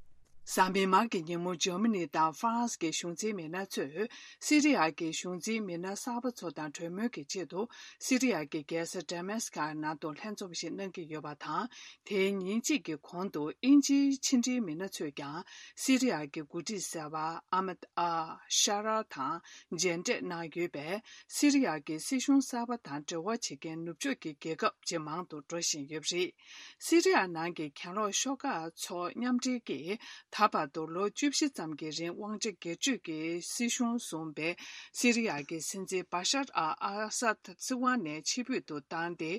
གཟའ་མིག་དམར་གྱི་ཉིན་མོ་འཇར་མ་ནི་དང་ཧྥ་རན་སི་གི་གཞུང་འཛིན་མི་སྣ་ཚོས། སི་རི་ཡ་གི་གཞུང་འཛིན་མི་སྣ་གསར་པ་ཚོ་དང་གྲོས་མོལ་གྱི་ཆེད་དུ། སི་རི་ཡ་གི་རྒྱལ་ས་ཌ་མཱ་སི་ཀ་ནང་དུ་ལྷན་འཛོམས་ཤིག་གནང་གི་ཡོད་པ་དང་། དེའི་ཉིན་གཅིག་གི་གོང་དུ་དབྱིན་ཇིའི་ཕྱི་འབྲེལ་མི་སྣ་ཚོས་ཀྱང་། སི་རི་ཡ་གི་འགོ་ཁྲིད་ཟུར་པ་ཨ་མད་ཨལ་ཤ་ར་དང་མཇལ་འཕྲད་གནང་ཡོད་པས། སི་རི་ཡ་གི་སྲིད་གཞུང་གསར་པ་དང་འབྲེལ་བ་བྱེད་མཁན་ནུབ་ཕྱོགས་ཀྱི་རྒྱལ་ཁབ་ཇེ་མང་དུ་འགྲོ་བཞིན་ཡོད་པ་རེད། སི་རི་ཡ་ནང་གི་གྱེན་ལོག་ཤོག་ཁག་ཚོ་མཉམ་འབྲེལ་གྱིས། ད་བར་དུ་ལོ་བཅུ་བཞི་ཙམ་གྱི་རིང་དབང་ཆ་སྒེར་གཅོད་ཀྱི་སྲིད་གཞུང་བཟུང་བའི་སི་རི་ཡ་གི་སྲིད་འཛིན་བྷ་ཤར་ཨལ་ཨ་སད་སྲིད་དབང་ནས་ཕྱིར་འབུད་དུ་བཏང་སྟེ།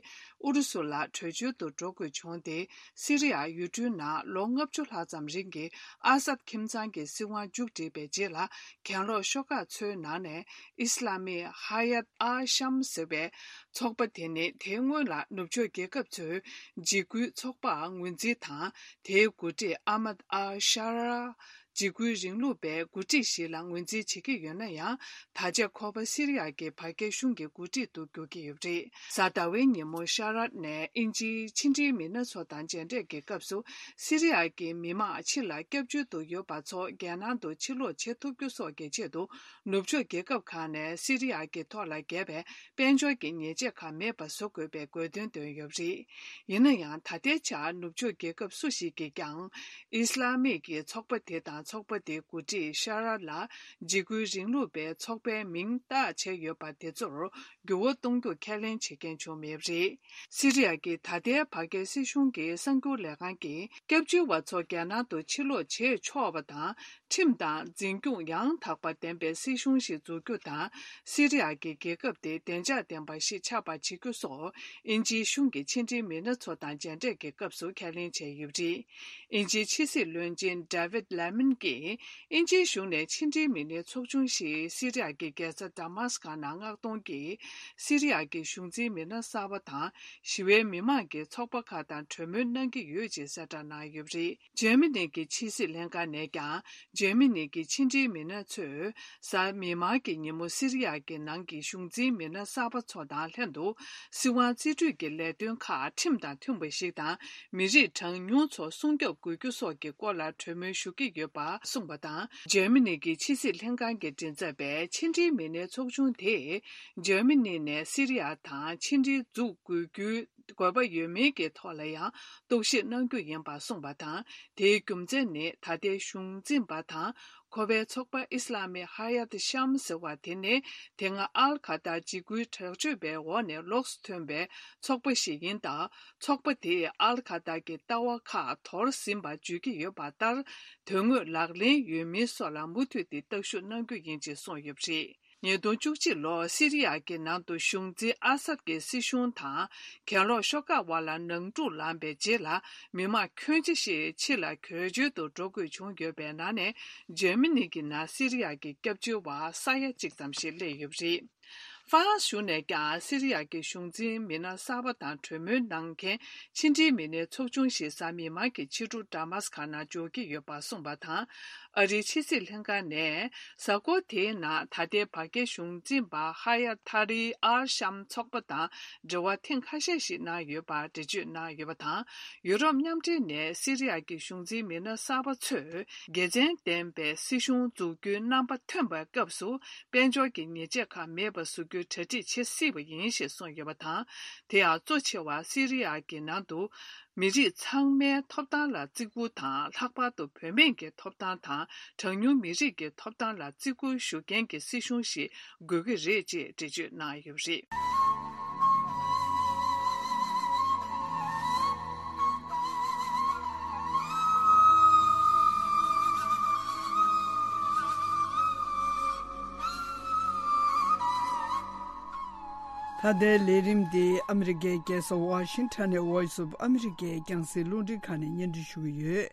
ཨུ་རུ་སུ་ལ་བྲོས་བྱོལ་དུ་འགྲོ་དགོས་བྱུང་སྟེ། སི་རི་ཡ་ཡུལ་གྲུའི་ནང་ལོ་ལྔ་བཅུ་ལྷག་ཙམ་རིང་གི་ཨ་སད་ཁྱིམ་ཚང་གི་སྲིད་དབང་མཇུག་བསྒྲིལ་བའི་རྗེས་ལ། གྱེན་ལོག་ཤོག་ཁག་ཚོའི་ནང་ནས་ཨི་སི་ལ་མི་ཧ་ཡད་ཨལ་ཤམ་ཟེར་བའི་ཚོགས་པ་དེ་ནི། དེའི་སྔོན་ལ་ནུབ་ཕྱོགས་རྒྱལ་ཁབ་ཚོའི་འཇིགས་སྐུལ་ཚོགས་པར་ངོས་འཛིན་དང་། དེའི་འགོ་ཁྲིད་ཨ་མད་ཨལ་ཤ་ར་འཇིགས་སྐུལ་རིང་ལུགས་པའི་འགོ་ཁྲིད་ཞིག་ལ་ངོས་འཛིན་བྱེད་ཀྱི་ཡོད་ན་ཡང་། ད་ཆ་ཁོ་པ་སི་རི་ཡ་གི་བར་བརྒལ་གཞུང་གི་འགོ་ཁྲིད་དུ་འགྱུར་གྱི་ཡོད་པ་རེད། གཟའ་ཟླ་བའི་ཉིན་མོ་ཤ་ར་ནས་དབྱིན་ཇིའི་ཕྱི་འབྲེལ་མི་སྣ་ཚོ་དང་མཇལ་འཕྲད་ཀྱི་སྐབས་སུ། སི་རི་ཡ་གི་མི་མང་ཕྱི་ལ་སྐྱབས་བཅོལ་དུ་ཡོད་པ་ཚོ་རྒྱལ་ནང་དུ་ཕྱིར་ལོག་བྱེད་ཐུབ་རྒྱུ་སོགས་ཀྱི་ཆེད་དུ། ནུབ་ཕྱོགས་རྒྱལ་ཁབ་ཁག་ནས་སི་རི་ཡ་གི་ཐོག་ལ་བརྒྱབ་པའི་དཔལ་འབྱོར་གྱི་ཉེས་ཆད་ཁག་མེད་པ་བཟོ་དགོས་པའི་དགོས་འདུན་བཏོན་ཡོད་པ་རེད། ཡིན་ན་ཡང་། ད་ལྟའི་ཆར་ནུབ་ཕྱོགས་རྒྱལ་ཁབ་སུ་ཞིག་གིས་ཀྱང་། ཨི་སི་ལ་མིག་གི་ཚོགས་པ་དེ་དང་། ཚོགས་པ་དེའི་འགོ་ཁྲིད་ཤ་ར་ལ་འཇིགས་སྐུལ་རིང་ལུགས་པའི་ཚོགས་པའི་མིང་བཏགས་བྱས་ཡོད་པ་དེ་ཚོར་འགྱུར་བ་གཏོང་རྒྱུ་ཁས་ལེན་བྱེད་མཁན་བྱུང་མེད་པ་རེད། སི་རི་ཡ་གི་ད་ལྟའི་བར་བརྒལ་སྲིད་གཞུང་གི་གསར་འགྱུར་ལས་ཁང་གིས། སྐྱབས་བཅོལ་བ་ཚོ་རྒྱལ་ནང་དུ་ཕྱིར་ལོག་བྱེད་ཆོག་པ་དང་། ཁྲིམས་དང་འཛིན་སྐྱོང་ཡང་དག་པ་ལྡན་པའི་སྲིད་གཞུང་ཞིག་འཛུགས་རྒྱུ་དང་། སི་རི་ཡ་གི་རྒྱལ་ཁབ་དེ་བདེ་འཇགས་ལྡན་པ་ཞིག་ཆགས་པ་བྱེད་རྒྱུ་སོགས། དབྱིན་ཇིའི་གཞུང་གི་ཕྱི་འབྲེལ་མི་སྣ་ཚོ་དང་མཇལ་འཕྲད་ཀྱི་སྐབས་སུ་ཁས་ལེན་བྱས་ཡོད་པ་རེད། དབྱིན་ཇིའི་ཕྱི་སྲིད་བློན་ཆེན་David Lamont གྱིས། དབྱིན་ཇིའི་གཞུང་ནས་ཕྱི་འབྲེལ་མི་སྣའི་ཚོགས་ཆུང་ཞིག་སི་རི་ཡ་གི་རྒྱལ་ས་ཌ་མཱ་སི་ཀ་ནང་མངགས་གཏོང་གིས། སི་རི་ཡ་གི་གཞུང་འཛིན་མི་སྣ་གསར་པ་དང་། ཞི་བའི་མི་མང་གི་ཚོགས་པ་ཁག་དང་གྲོས་མོལ་གནང་གི་ཡོད་ཅེས་གསལ་བསྒྲགས་གནང་ཡོད་པ་རེད། འཇར་མ་ནི་གི་ཕྱི་སྲིད་ལྷན་ཁང་ནས་ཀྱང་། འཇར་མ་ནི་གི་ཕྱི་འབྲེལ་མི་སྣ་ཚོས། གཟའ་མིག་དམར་གྱི་ཉིན་མོ་སི་རི་ཡ་གི་ནང་གི་གཞུང་འཛིན་མི་སྣ་གསར་པ་ཚོ་དང་ལྷན་དུ། སྲིད་དབང་རྩིས་སྤྲོད་ཀྱི་ལས་དོན་ཁག་ཁྲིམས་དང་མཐུན་པ་ཞིག་དང་། མི་རིགས་གྲངས་ཉུང་ཚོ་སྲུང་སྐྱོབ་དགོས་རྒྱུ་སོགས་ཀྱི་སྐོར་ལ་གྲོས་མོལ་ཞུ་གི་ཡོད་པ་གསུངས་པ་དང་། འཇར་མ་ནི་གི་ཕྱི་སྲིད་ལྷན་ཁང་གི་མགྲིན་ཚབ་པས། ཕྱི་འབྲེལ་མི་སྣའི་ཚོགས་ཆུང་དེས། འཇར་མ་ནི་ནས་སི་རི་ཡ་དང་ཕྱི་འབྲེལ་འཛུགས་དགོས་རྒྱུའི་དགོས་པ་ཡོད་མིན་གྱི་ཐོག་ལ་ཡང་རྟོག་ཞིབ་གནང་རྒྱུ་ཡིན་པ་གསུངས་པ་དང་། དེའི་རྒྱུ་མཚན་ནི། ད་ལྟའི་གཞུང་འཛིན་པ་དང་། ཁོ་པའི་ཚོགས་པ་ཨི་སི་ལ་མི་ཧ་ཡད་ཤམ་ཟེར་བ་དེ་ནི། དེ་སྔ་ཨལ་ཁ་ཏར་འཇིགས་སྐུལ་དྲག་སྤྱོད་པའི་འོག་ནས་ལོགས་སུ་ཐོན་པའི་ཚོགས་པ་ཞིག་ཡིན་སྟབས། ཚོགས་པ་དེས་ཨལ་ཁ་ཏར་གྱི་ལྟ་བ་ཁག་དོར་ཟིན་པ་བརྗོད་ཀྱི་ཡོད་པ་ལྟར། དོན་དངོས་ལག་ལེན་ཡོད་མིན་སོགས་ལ་མུ་མཐུད་དེ་བརྟག་ཞིབ་གནང་རྒྱུ་ཡིན་ཅེས་གསུངས་ཡོད་པ་རེད། ཉིས་སྟོང་བཅུ་གཅིག་ལོར་སི་རི་ཡ་གི་ནང་དུ་གཞུང་འཛིན་ཨ་སད་ཀྱི་སྲིད་གཞུང་དང་། གྱེན་ལོག་ཤོག་ཁག་དབར་ལ་ནང་འཁྲུག་ལངས་པའི་རྗེས་ལ། མི་མང་ཁྱོན་ཆེ་ཞིག་ཕྱི་ལ་བྲོས་བྱོལ་དུ་འགྲོ་དགོས་བྱུང་ཡོད་པའི་ནང་ནས། འཇར་མ་ནི་གི་ནང་སི་རི་ཡ་གི་སྐྱབས་བཅོལ་བ་ས་ཡ་གཅིག་ཙམ་ཞིག་སླེབས་ཡོད་པ་རེད། ཧྥ་རན་སི་གཞུང་ནས་ཀྱང་སི་རི་ཡ་གི་གཞུང་འཛིན་མི་སྣ་གསར་པ་དང་གྲོས་མོལ་གནང་མཁན་ཕྱི་འབྲེལ་མི་སྣའི་ཚོགས་ཆུང་ཞིག་གཟའ་མིག་དམར་གྱི་ཕྱི་དྲོ་ཌ་མཱ་སི་ཀ་ནང་འབྱོར་གྱི་ཡོད་པ་གསུངས་པ་དང་། ཨ་རིའི་ཕྱི་སྲིད་ལྷན་ཁང་ནས། གཟའ་འཁོར་དེའི་ནང་ད་ལྟའི་བར་བརྒལ་གཞུང་འཛིན་པ་ཧ་ཡ་ཐ་རིའི་ཨལ་ཤམ་ཚོགས་པ་དང་འབྲེལ་བ་ཐེངས་ཁ་ཤས་ཤིག་གནང་ཡོད་པར་འགྲེལ་བརྗོད་གནང་ཡོད་པ་དང་། ཡུ་རོབ་མཉམ་འབྲེལ་ནས་སི་རི་ཡ་གི་གཞུང་འཛིན་མི་སྣ་གསར་པ་ཚོས་དགེ་མཚན་ལྡན་པའི་སྲིད་གཞུང་འཛུགས་རྒྱུའི་རྣམ་པ་ཐོན་པའི་སྐབས་སུ། དཔལ་འབྱོར་གྱི་ཉེས་ཆད་ཁག་མེད་པ་བཟོ་རྒྱུའི་གྲ་སྒྲིག་བྱེད་སྲིད་པ་ཡིན་ཞེས་གསུངས་ཡོད་པ་དང་། དེ་ཡང་གཙོ་ཆེ་བ་སི་རི་ཡ་གི་ནང་དུ། མི་རིགས་ཚང་མའི་ཐོབ་ཐང་ལ་བརྩི་བཀུར་དང་། ལྷག་པར་དུ་བུད་མེད་ཀྱི་ཐོབ་ཐང་དང་། གྲངས་ཉུང་མི་རིགས་ཀྱི་ཐོབ་ཐང་ལ་བརྩི་བཀུར་ཞུ་མཁན་གྱི་སྲིད་གཞུང་ཞིག་དགོས་ཀྱི་རེད་ཅེས་འགྲེལ་བརྗོད་གནང་ཡོད་པ་རེད། ད་ལྟའི་ལས་རིམ་འདི་ཨ་མི་རི་ཀའི་རྒྱལ་ས་ཝ་ཤིང་ཊོན་ནས་Voice of America རྒྱང་སྲིང་རླུང་འཕྲིན་ཁང་ནས་སྙན་སྒྲོན་ཞུ་གི་ཡོད།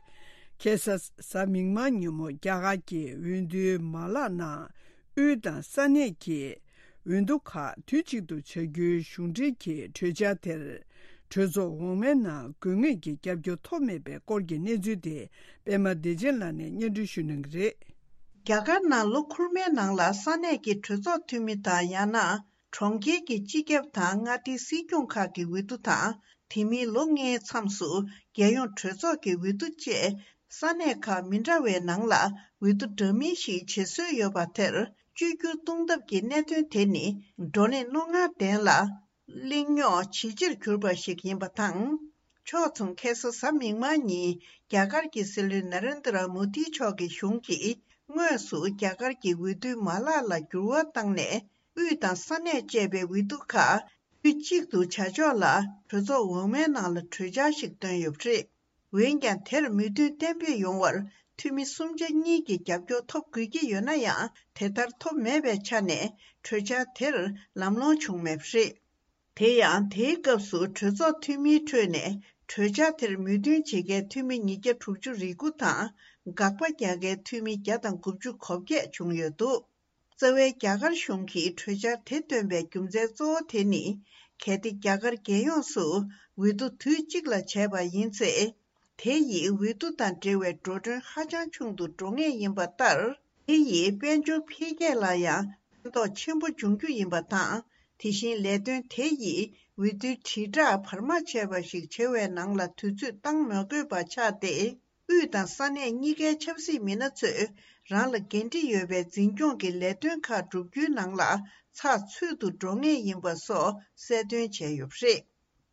ཁ་སང་གཟའ་མིག་དམར་ཉིན་མོ་རྒྱ་གར་གྱི་འོས་བསྡུའི་མ་ལག་ནང་དབུས་དང་ས་གནས་ཀྱི་འོས་བསྡུ་ཁག་དུས་གཅིག་ཏུ་བྱ་རྒྱུའི་གཞུང་འབྲེལ་གྱི་གྲོས་འཆར་དེར། གྲོས་ཚོགས་འོག་མའི་ནང་དགོས་ངེས་ཀྱི་རྒྱབ་སྐྱོར་ཐོབ་མེད་པའི་སྐོར་གྱི་གནས་ཚུལ་དེ་པད་མ་བདེ་ཆེན་ལགས་ནས་སྙན་སྒྲོན་ཞུ་གནང་གི་རེད། རྒྱ་གར་ནང་ལོ་འཁོར་མའི་ནང་ལ་ས་གནས་ཀྱི་གྲོས་ཚོགས་འཐུས་མི་དང་ཡང་ན་གྲོང་ཁྱེར་གྱི་སྤྱི་ཁྱབ་དང་མངའ་སྡེའི་སྲིད་སྐྱོང་ཁག་གི་འོས་བསྡུ་དང་། དེ་མིན་ལོ་ལྔའི་མཚམས་སུ་རྒྱལ་ཡོངས་གྲོས་ཚོགས་ཀྱི་འོས་བསྡུ་བཅས་ས་གནས་ཁག་མི་འདྲ་བའི་ནང་ལ་འོས་བསྡུ་འདྲ་མིན་ཞིག་བྱེད་སྲོལ་ཡོད་པ་དེར་བཅོས་བསྒྱུར་གཏོང་ཐབས་ཀྱི་གནད་དོན་དེ་ནི་བགྲོ་གླེང་རྣོ་ངར་ལྡན་ལ། གླེང་རྙོག་ཇེ་ཆེར་གྱུར་པ་ཞིག་ཡིན་པ་དང་། ཕྱོགས་མཚུངས་ཁ་སང་གཟའ་མིག་དམར་ཉིན་རྒྱ་གར་གྱི་སྲིད་བློན་ན་རེན་དྲ་མོ་དིའི་མཆོག་གི་གཞུང་གིས་དངོས་སུ་རྒྱ་གར་གྱི་འོས་བསྡུའི་མ་ལག་ལ་འགྱུར་བ་བཏང་ནས། དབུས་དང་ས་གནས་བཅས་པའི་འོས་བསྡུ་ཁག་དུས་གཅིག་ཏུ་བྱ་ཕྱོགས་ལ་གྲོས་ཚོགས་འོག་མའི་ནང་ལ་གྲོས་འཆར་ཞིག་བཏོན་ཡོད་པ་རེད། འོན་ཀྱང་། དེར་མོས་མཐུན་གཏན་འབེབས་ཡོང་བར་འཐུས་མི་གསུམ་ཆ་གཉིས་ཀྱི་རྒྱབ་སྐྱོར་ཐོབ་དགོས་ཀྱི་ཡོད་ན་ཡང་། དེ་ལྟར་ཐོབ་མེད་པའི་ཆ་ནས་གྲོས་འཆར་དེར་ལམ་ལྷོང་བྱུང་མེད་པ་རེད། དེ་ཡང་། དེའི་སྐབས་སུ་གྲོས་ཚོགས་འཐུས་མིའི་ཁྲོད་ནས་གྲོས་འཆར་དེར་མོས་མཐུན་བྱེད་མཁན་འཐུས་མི་ཉིས་བརྒྱ་དྲུག་ཅུ་རེ་དགུ་དང་། དགག་པ་རྒྱག་མཁན་འཐུས་མི་བརྒྱ་དང་དགུ་བཅུ་གོ་བརྒྱད་བྱུང་ཡོད་འདུག། རྩ་བའི་རྒྱ་གར་གཞུང་གིས་གྲོས་འཆར་དེ་བཏོན་པའི་རྒྱུ་མཚན་གཙོ་བོ་དེ་ནི། གལ་ཏེ་རྒྱ་གར་རྒྱལ་ཡོངས་སུ་འོས་བསྡུ་དུས་གཅིག་ལ་བྱས་པ་ཡིན་ཚེ། དེ་ཡིས་འོས་བསྡུ་དང་འབྲེལ་བའི་འགྲོ་གྲོན་ཧ་ཅང་ཆུང་དུ་འགྲོ་ངེས་ཡིན་པ་ལྟར། དེ་ཡིས་དཔལ་འབྱོར་འཕེལ་རྒྱས་ལ་ཡང་ཕན་ཐོགས་ཆེན་པོ་འབྱུང་རྒྱུ་ཡིན་པ་དང་། དེ་བཞིན་ལས་དོན་དེ་ཡིས་འོས་བསྡུའི་དྲིལ་བསྒྲགས་བར་མ་ཆད་པ་ཞིག་བྱེད་པའི་ནང་ལ་དུས་ཚོད་བཏང་མ་དགོས་པ་ཆགས་ཏེ། དབུས་དང་ས་གནས་གཉིས་ཀའི་ཆབ་སྲིད་མི་སྣ་ཚོས་རང་ལ་འགན་འཁྲི་ཡོད་པའི་འཛིན་སྐྱོང་གི་ལས་དོན་ཁག་བསྒྲུབ་རྒྱུའི་ནང་ལ་ཚགས་ཚུད་དུ་འགྲོ་ངེས་ཡིན་པ་སོགས་གསལ་སྟོན་བྱས་ཡོད་པ་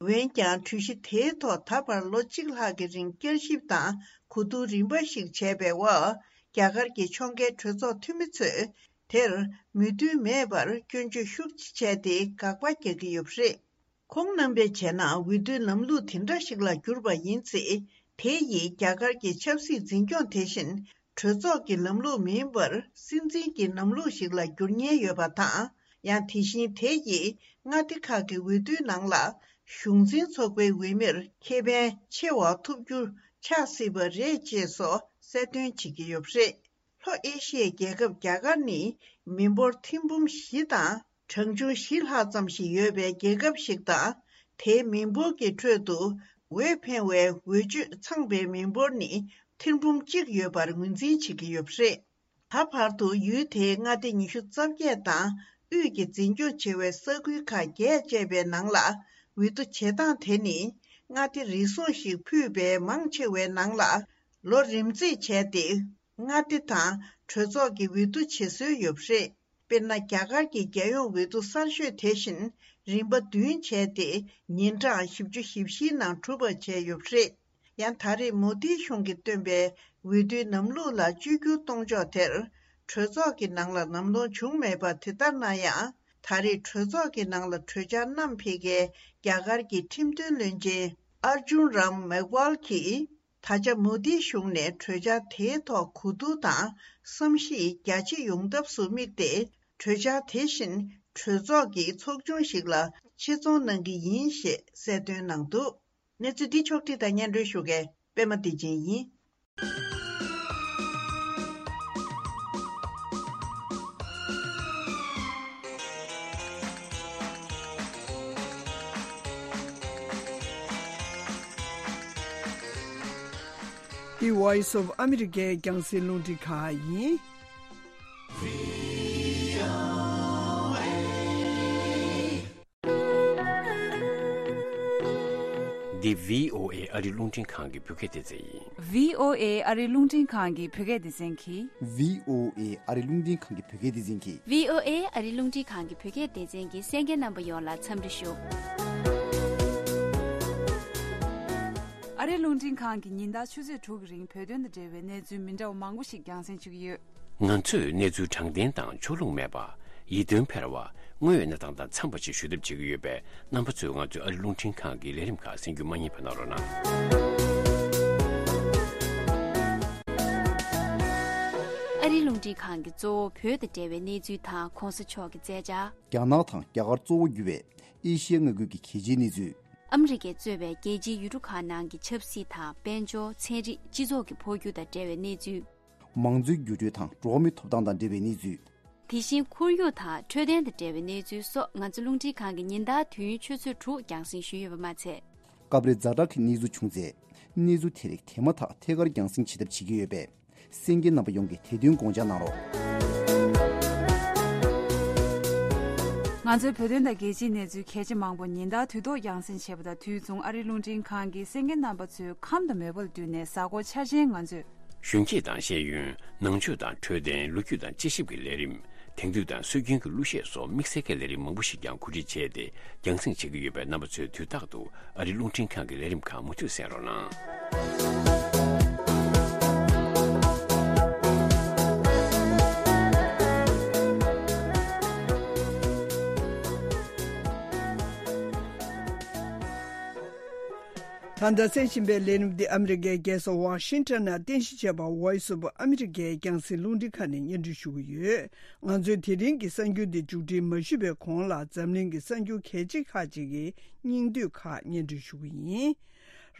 རེད། འོན་ཀྱང་། གྲོས་གཞི་དེའི་ཐོག་ད་བར་ལོ་གཅིག་ལྷག་གི་རིང་བསྐྱར་ཞིབ་དང་གོ་བསྡུར་རིམ་པ་ཞིག་བྱས་པའི་འོག། རྒྱ་གར་གྱི་ཕྱོགས་འགལ་གྲོས་ཚོགས་འཐུས་མི་ཚོས་དེར་མོས་མཐུན་མེད་པར་སྐྱོན་བརྗོད་ཤུགས་ཆེ་བྱས་ཏེ་དགག་པ་རྒྱག་གི་ཡོད་པ་རེད། ཁོང་རྣམ་པས་བྱས་ན། འོས་བསྡུའི་ལམ་ལུགས་དེ་འདྲ་ཞིག་ལ་གྱུར་པ་ཡིན་ཚེ། དེ་ཡིས་རྒྱ་གར་གྱི་ཆབ་སྲིད་འཛིན་སྐྱོང་དེ་བཞིན་གྲོས་ཚོགས་ཀྱི་ལམ་ལུགས་མིན་པར་སྲིད་འཛིན་གྱི་ལམ་ལུགས་ཤིག་ལ་འགྱུར་ཉེན་ཡོད་པ་དང་། ཡང་དེ་བཞིན་དེ་ཡིས་མངའ་སྡེ་ཁག་གི་འོས་བསྡུའི་ནང་ལ་གཞུང་འཛིན་ཚོགས་པའི་འོས་མིར་ཁེ་ཕན་ཆེ་བ་ཐོབ་རྒྱུ་ཆགས་སྲིད་པ་རེད་ཅེས་སོགས་གསལ་སྟོན་བྱེད་ཀྱི་ཡོད་པ་རེད། ལྷོ་ཨེ་ཤི་ཡའི་རྒྱལ་ཁབ་རྒྱ་གར་ནི་མི་འབོར་ཐེར་འབུམ་བཞི་དང་། གྲངས་ཆུང་བཞི་ལྷག་ཙམ་ཞིག་ཡོད་པའི་རྒྱལ་ཁབ་ཞིག་དང་། དེའི་མི་འབོར་གྱི་ཁྲོད་དུ་འོས་འཕེན་པའི་འོས་ཆོས་ཚང་པའི་མི་འབོར་ནི་ཐེར་འབུམ་གཅིག་ཡོད་པར་ངོས་འཛིན་བྱེད་ཀྱི་ཡོད་པ་རེད། ད་བར་དུ་ཡུལ་དེའི་མངའ་སྡེ་ཉི་ཤུ་རྩ་བརྒྱད་དང་དབུས་ཀྱི་འཛིན་སྐྱོང་བྱེད་པའི་ས་ཁུལ་ཁག་བརྒྱད་བཅས་པའི་ནང་ལ་འོས་བསྡུ་བྱེད་སྟངས་དེ་ནི་མངའ་སྡེ་རེ་ཟུང་ཞིག་ཕུད་པའི་མང་ཆེ་བའི་ནང་ལ་ལོ་རིམ་རྩིས་བྱས་ཏེ། མངའ་སྡེ་དང་གྲོས་ཚོགས་ཀྱི་འོས་བསྡུ་བྱེད་སྲོལ་ཡོད་པ་རེད། དཔེར་ན། རྒྱ་གར་གྱི་རྒྱལ་ཡོངས་འོས་བསྡུ་གསར་ཤོས་དེ་བཞིན་རིམ་པ་བདུན་བྱས་ཏེ། ཉིན་གྲངས་བཞི་བཅུ་ཞེ་བཞིའི་ནང་གྲུབ་པ་བྱས་ཡོད་པ་རེད། ཡང་། ད་རེས་མོ་དིའི་གཞུང་གིས་བཏོན་པའི་འོས་བསྡུའི་ལམ་ལུགས་ལ་བཅོས་བསྒྱུར་གཏོང་ཕྱོགས་དེར། གྲོས་ཚོགས་ཀྱི་ནང་ལ་ལམ་ལྷོང་བྱུང་མེད་པ་དེ་ལྟར་ན་ཡང་། ད་རེས་གྲོས་ཚོགས་ཀྱི་ནང་ལ་གྲོས་འཆར་བསྣམས་ཕེབས་མཁན་རྒྱ་གར་གྱི་ཁྲིམས་དོན་བློན་ཆེན་ཨར་ཇུན་རམ་མེག་ཝལ་གྱིས། ད་ཆ་མོ་དིའི་གཞུང་ནས་གྲོས་འཆར་དེའི་ཐོག་གོ་བསྡུར་དང་བསམ་གཞིག་རྒྱ་ཆེ་ཡོང་ཐབས་སུ་དམིགས་ཏེ། གྲོས་འཆར་དེ་བཞིན་གྲོས་ཚོགས་ཀྱི་ཚོགས་ཆུང་ཞིག་ལ་ཆེད་རྫོང་གནང་གི་ཡིན་ཞེས་གསལ་སྟོན་གནང་འདུག། གནས་ཚུལ་འདི་ཕྱོགས་བསྒྲིགས་དང་སྙན་སྒྲོན་ཞུ་མཁན་པད་མ་བདེ་ཆེན་ཡིན། འདི་Voice of America རྒྱང་སྲིང་རླུང་འཕྲིན་ཁང་ཡིན། འདི་བྷི་ཨོ་ཨེ་ཨ་རི་རླུང་འཕྲིན་ཁང་གི་བོད་སྐད་སྡེ་ཚན་ཡིན། བྷི་ཨོ་ཨེ་ཨ་རི་རླུང་འཕྲིན་ཁང་གི་བོད་སྐད་སྡེ་ཚན་གྱིས། བྷི་ཨོ་ཨེ་ཨ་རི་རླུང་འཕྲིན་ཁང་གི་བོད་སྐད་སྡེ་ཚན་གྱིས། བྷི་ཨོ་ཨེ་ཨ་རི་རླུང་འཕྲིན་ཁང་གི་བོད་སྐད་སྡེ་ཚན་གྱི་གསན་མཁན་རྣམ་པ་ཡོངས་ལ་འཚམས་འདྲི་ཞུ། ཨ་རི་རླུང་འཕྲིན་ཁང་གི་ཉིན་ལྟར་ཆུ་ཚོད་དྲུག་གི་རིང་བོད་དོན་དང་འབྲེལ་བའི་གནས་ཚུལ་མི་འདྲ་བ་མང་པོ་ཞིག་རྒྱང་སྲིང་ཞུ་གི་ཡོད། ང་ཚོས་གནས་ཚུལ་དྲང་བདེན་དང་ཕྱོགས་ལྷུང་མེད་པ། ཡིད་རྟོན་འཕེར་བ། དངོས་ཡོད་གནས་སྟངས་དང་འཚམས་པ་ཞིག་ཞུ་ཐབས་བྱེད་ཀྱི་ཡོད་པས། རྣམ་པ་ཚོས་ང་ཚོའི་ཨ་རི་རླུང་འཕྲིན་ཁང་གི་ལས་རིམ་ཁག་གསན་རྒྱུ་མ་བསྙེལ་བ་གནང་རོགས་གནང་། ཨ་རི་རླུང་འཕྲིན་ཁང་གིས་གཙོ་བོ་བོད་དང་འབྲེལ་བའི་གནས་ཚུལ་དང་གོང་ས་མཆོག་གི་མཛད་འཆར། རྒྱ་ནག་དང་རྒྱ་གར་གཙོ་བོ་གྱུར་བའི་ཨེ་ཤི་ཡའི་མངའ་ཁུལ་གྱི་གལ་ཆེའི་གནས་ཚུལ། ཨ་མི་རི་ཀས་གཙོས་པའི་རྒྱལ་སྤྱིའི་ཡུལ་གྲུ་ཁག་ནང་གི་ཆབ་སྲིད་དང་དཔལ་འབྱོར། ཚན་རིག་སྤྱི་ཚོགས་ཀྱི་འཕོ་འགྱུར་དང་འབྲེལ་བའི་གནས་ཚུལ། མང་གཙོའི་འགྱུར་འགྲོས་དང་འགྲོ་བ་མིའི་ཐོབ་ཐང་དང་འབྲེལ་བའི་གནས་ཚུལ། དེ་བཞིན་ཁོར་ཡུག་དང་འཕྲོད་བསྟེན་དང་འབྲེལ་བའི་གནས་ཚུལ་སོགས་ང་ཚོ་རླུང་འཕྲིན་ཁང་གིས་ཉིན་ལྟར་དུས་ཡུན་ཆུ་ཚོད་དྲུག་རྒྱང་སྲིང་ཞུས་ཡོད་པ་མ་ཚད། སྐབས་རེ་ཛ་དྲག་གི་གནས་ཚུལ་བྱུང་ཚེ། གནས་ཚུལ་དེ་རིགས་དེ་མ་ཐག་ཐད་ཀར་རྒྱང་སྲིང་བྱེད་ཐབས་བྱེད་ཀྱི་ཡོད་པས། གསན་མཁན་རྣམ་པ་ཡོངས་ཀྱིས་དེ་དོན་དགོངས་འཇགས་གནང་རོགས། ང་ཚོའི་བོད་དོན་དང་རྒྱལ་སྤྱིའི་གནས་ཚུལ་གལ་ཆེ་མང་པོ་ཉིན་ལྟར་དུས་ཐོག་རྒྱང་སྲིང་བྱེད་པ་དང་དུས་མཚུངས་ཨ་རིའི་རླུང་འཕྲིན་ཁང་གིས་གསན་མཁན་རྣམ་པ་ཚོའི་ཁམས་དང་མོས་པ་ལ་བསྟུན་ནས་གཟའ་འཁོར་འཆར་ཅན་ང་ཚོས། གཞོན་སྐྱེས་དང་ཤེས་ཡོན། ནང་ཆོས་དང་འཕྲོད་བསྟེན། ལོ་རྒྱུས་དང་དཔྱད་ཞིབ་ཀྱི་ལས་རིམ། དེང་དུས་དང་སྲོལ་རྒྱུན་གྱི་གླུ་གཞས་སོགས་དམིགས་བསལ་གྱི་ལས་རིམ་མང་པོ་ཞིག་ཀྱང་གོ་སྒྲིག་བྱས་ཏེ་རྒྱང་སྲིང་བྱེད་ཀྱི་ཡོད་པས། རྣམ་པ་ཚོས་དུས་རྟག་ཏུ་ཨ་རིའི་རླུང་འཕྲིན་ཁང་གི་ལས་རིམ་ཁག་མུ་མཐུད་གསན་རོགས་གནང་། ད་ལྟ་གསན་བཞིན་པའི་ལས་རིམ་འདི་ཨ་མི་རི་ཀའི་རྒྱལ་ས་ཝ་ཤིང་ཊོན་ནང་རྟེན་གཞི་བྱས་པ་Voice of America རྒྱང་སྲིང་རླུང་འཕྲིན་ཁང་ནས་སྙན་སྒྲོན་ཞུ་གི་ཡོད། ང་ཚོས་དེ་རིང་གི་གསར་འགྱུར་འདི་མཇུག་སྒྲིལ་མ་ཞུས་པའི་གོང་ལ་འཛམ་གླིང་གི་གསར་འགྱུར་གལ་ཆེ་ཁག་ཅིག་གི་སྙིང་བསྡུས་ཁག་སྙན་སྒྲོན་ཞུ་གི་ཡིན།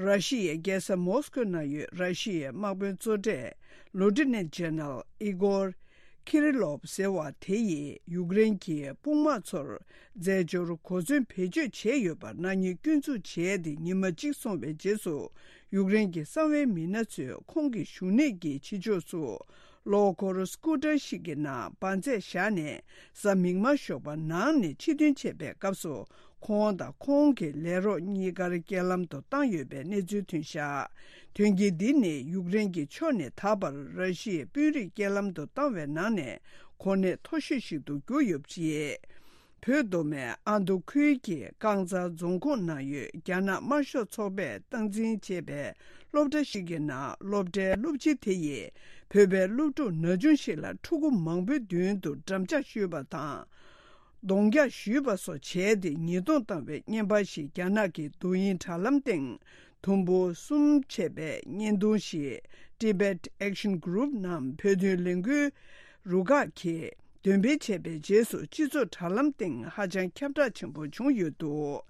ར་ཤི་ཡའི་རྒྱལ་ས་མོ་སི་ཀོ་ནང་ཡོད་ར་ཤི་ཡའི་དམག་དཔོན་གཙོ་གྲས་Lieutenant General Igor Kirillov ཟེར་བ་དེ་ཡིས་ཡུཀ་རེན་གྱི་དཔུང་དམག་ཚོར་རྫས་སྦྱོར་གོ་མཚོན་བེད་སྤྱོད་བྱས་ཡོད་པར་ནག་ཉེས་སྐྱོན་འཛུགས་བྱས་ཏེ་ཉི་མ་གཅིག་སོང་བའི་རྗེས་སུ། ཡུཀ་རེན་གྱི་གསང་བའི་མི་སྣ་ཚོས་ཁོང་གི་བཞུགས་གནས་ཀྱི་ཕྱི་ཕྱོགས་སུ། གློག་འཁོར་སྐུ་ཊར་ཞིག་གི་ནང་འབར་རྫས་བཞག་ནས། གཟའ་མིག་དམར་ཞོགས་པ་ནང་ནས་ཕྱིར་ཐོན་བྱས་པའི་སྐབས་སུ། ཁོང་དང་ཁོང་གི་ལས་རོགས་གཉིས་ཀར་རྐྱེན་ལམ་དུ་བཏང་ཡོད་པའི་གནས་ཚུལ་ཐོན་བཞག་དོན་རྐྱེན་འདི་ནི་ཡུཀ་རེན་གྱི་ཕྱོགས་ནས་ད་བར་ར་ཤི་ཡའི་དཔོན་རིགས་རྐྱེན་ལམ་དུ་བཏང་བའི་ནང་ནས་གོ་གནས་མཐོ་ཤོས་ཤིག་ཏུ་གྱུར་ཡོད་པ་རེད། བོད་མདོ་སྨད་ཨ་མདོ་ཁུལ་གྱི་རྐང་ཚ་རྫོང་ཁོངས་ནང་ཡོད་རྒྱ་ནག་དམར་ཤོག་ཚོགས་པས་སྟངས་འཛིན་བྱས་པའི་སློབ་གྲྭ་ཞིག་གི་ནང་སློབ་གྲྭའི་སློབ་སྤྱི་དེ་ཡིས་བོད་པའི་སློབ་ཕྲུག་ན་ཆུང་ཞིག་ལ་ཕྲུ་གུ་མང་པོའི་མདུན་དུ་འགྲམ་ལྕག་གཞུས་པ་དང་། གདོང་རྒྱག་གཞུས་པ་སོགས་བྱས་ཏེ་ཉེས་རྡུང་བཏང་བའི་བརྙན་པར་ཞིག་རྒྱ་ནག་གི་རྡོ་དབྱིངས་དྲ་ལམ་སྟེང་དུམ་བུ་གསུམ་བྱས་པའི་བརྙན་ཐུང་ཞིག Tibet Action Group ནམ་བོད་དོན་ལས་འགུལ་རུ་ཁག་གིས་འདོན་སྤེལ་བྱས་པའི་རྗེས་སུ་སྤྱི་ཚོགས་དྲ་ལམ་སྟེང་ཧ་ཅང་ཁྱབ་བསྒྲགས་ཆེན་པོ་བྱུང་ཡོད་འདུག་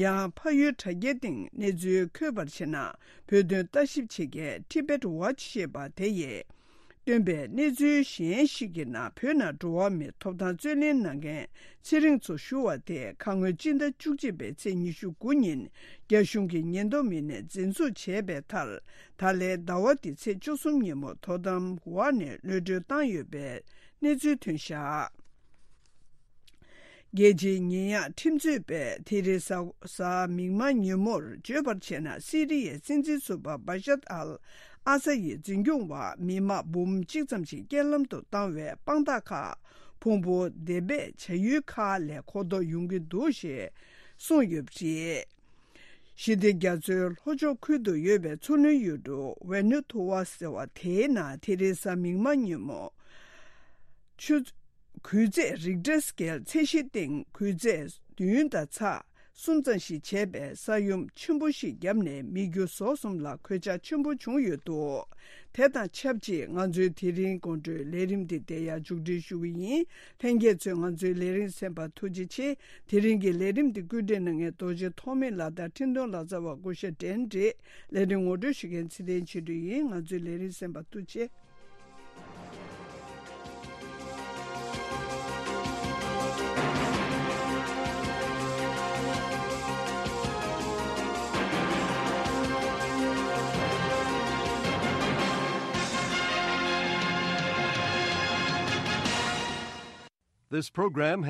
ཡང་ཕ་ཡུལ་དྲ་རྒྱའི་སྟེང་གནས་ཚུལ་འཁོད་པར་བྱས་ན། བོད་དོན་ལྟ་ཞིབ་བྱེད་མཁན་Tibet Watch ཞེས་པ་དེ་ཡིས། བཏོན་པའི་གནས་ཚུལ་གཞན་ཞིག་གི་ནང་བོད་ནང་འགྲོ་བ་མིའི་ཐོབ་ཐང་རྩོད་ལེན་གནང་མཁན་ཚེ་རིང་མཚོ་ཞུ་བ་དེ་ཁ་སྔོན་སྤྱི་ཟླ་བཅུ་གཅིག་པའི་ཚེས་ཉི་ཤུ་དགུ་ཉིན་རྒྱ་གཞུང་གི་ཉེན་རྟོག་མི་སྣས་འཛིན་བཟུང་བྱས་པའི་མཐར། ད་ལན་ཟླ་བ་འདིའི་ཚེས་བཅུ་གསུམ་ཉིན་མོ་དོ་དམ་འོག་ནས་གློད་གྲོལ་བཏང་ཡོད་པའི་གནས་ཚུལ་ཐོན་བཞག་རྒྱལ་སྤྱིའི་ཉེས་ཡངས་ཁྲིམས་རྩོད་པས་དེ་རིང་གཟའ་གཟའ་མིག་དམར་ཉིན་མོར་བརྗོད་པར་བྱས་ན། སི་རི་ཡའི་སྲིད་འཛིན་ཟུར་པ་བྷ་ཤར་ཨལ་ཨ་ས་ཡི་འཛིན་སྐྱོང་འོག་མི་དམངས་འབུམ་གཅིག་ཙམ་ཞིག་རྐྱེན་ལམ་དུ་བཏང་བའི་དཔང་རྟགས་ཁག་ཕུང་པོ་འདེབས་འབད་བྱ་ཡུལ་ཁག་ལས་མཁོ་ཐོག་ཡོང་གི་འདུག་ཞེས་གསུངས་ཡོད་པ་རེད། ཞི་བདེ་རྒྱ་མཚོའི་ལྷོ་ཕྱོགས་ཁུལ་དུ་ཡོད་པའི་མཚོ་སྣོད་ཡུལ་གྲུ་ཝེ་ནུ་ཐུ་ཝ་ཟེར་བ་དེའི་ནང་དེ་རིང་གཟའ་མིག་དམར་ཉིན་མོ། ཆུ། གུས་ཚད་རིག་ཊར་སི་ཀེལ་ཚད་གཞིའི་སྟེང་གུས་ཚད་བདུན་དང་ཚེག་གསུམ་ཙམ་ཞིག་བྱས་པའི་ས་ཡོམ་ཆེན་པོ་ཞིག་བརྒྱབ་ནས་མི་རྒྱུ་ཟོག་གསུམ་ལ་གོད་ཆག་ཆེན་པོ་བྱུང་ཡོད་འདུག་དེ་དང་ཆབས་ཅིག་ང་ཚོའི་དེ་རིང་དགོང་དྲོའི་ལས་རིམ་འདི་དེ་ཡང་མཇུག་སྒྲིལ་ཞུ་གི་ཡིན། ལྷན་རྒྱས་ཚོས་ང་ཚོའི་ལས་རིམ་གསན་པར་ཐུགས་རྗེ་ཆེ། དེ་རིང་གི་ལས་རིམ་འདི་བཀོད་སྒྲིག་གནང་མཁན་རྡོ་རྗེ་ཐོགས་མེད་ལགས་དང་འཕྲིན་གཏོང་ལག་རྩལ་བ་སྐུ་ཞབས་ཌེན་རེད། ལས་རིམ་ངོ་སྤྲོད་ཞུ་མཁན་ཚེ་བརྟན་ཆོས་སྒྲོན་ཡིན། ང་ཚོའི་ལས་རིམ་གསན་པར་ཐུགས་རྗེ་ཆེ། This program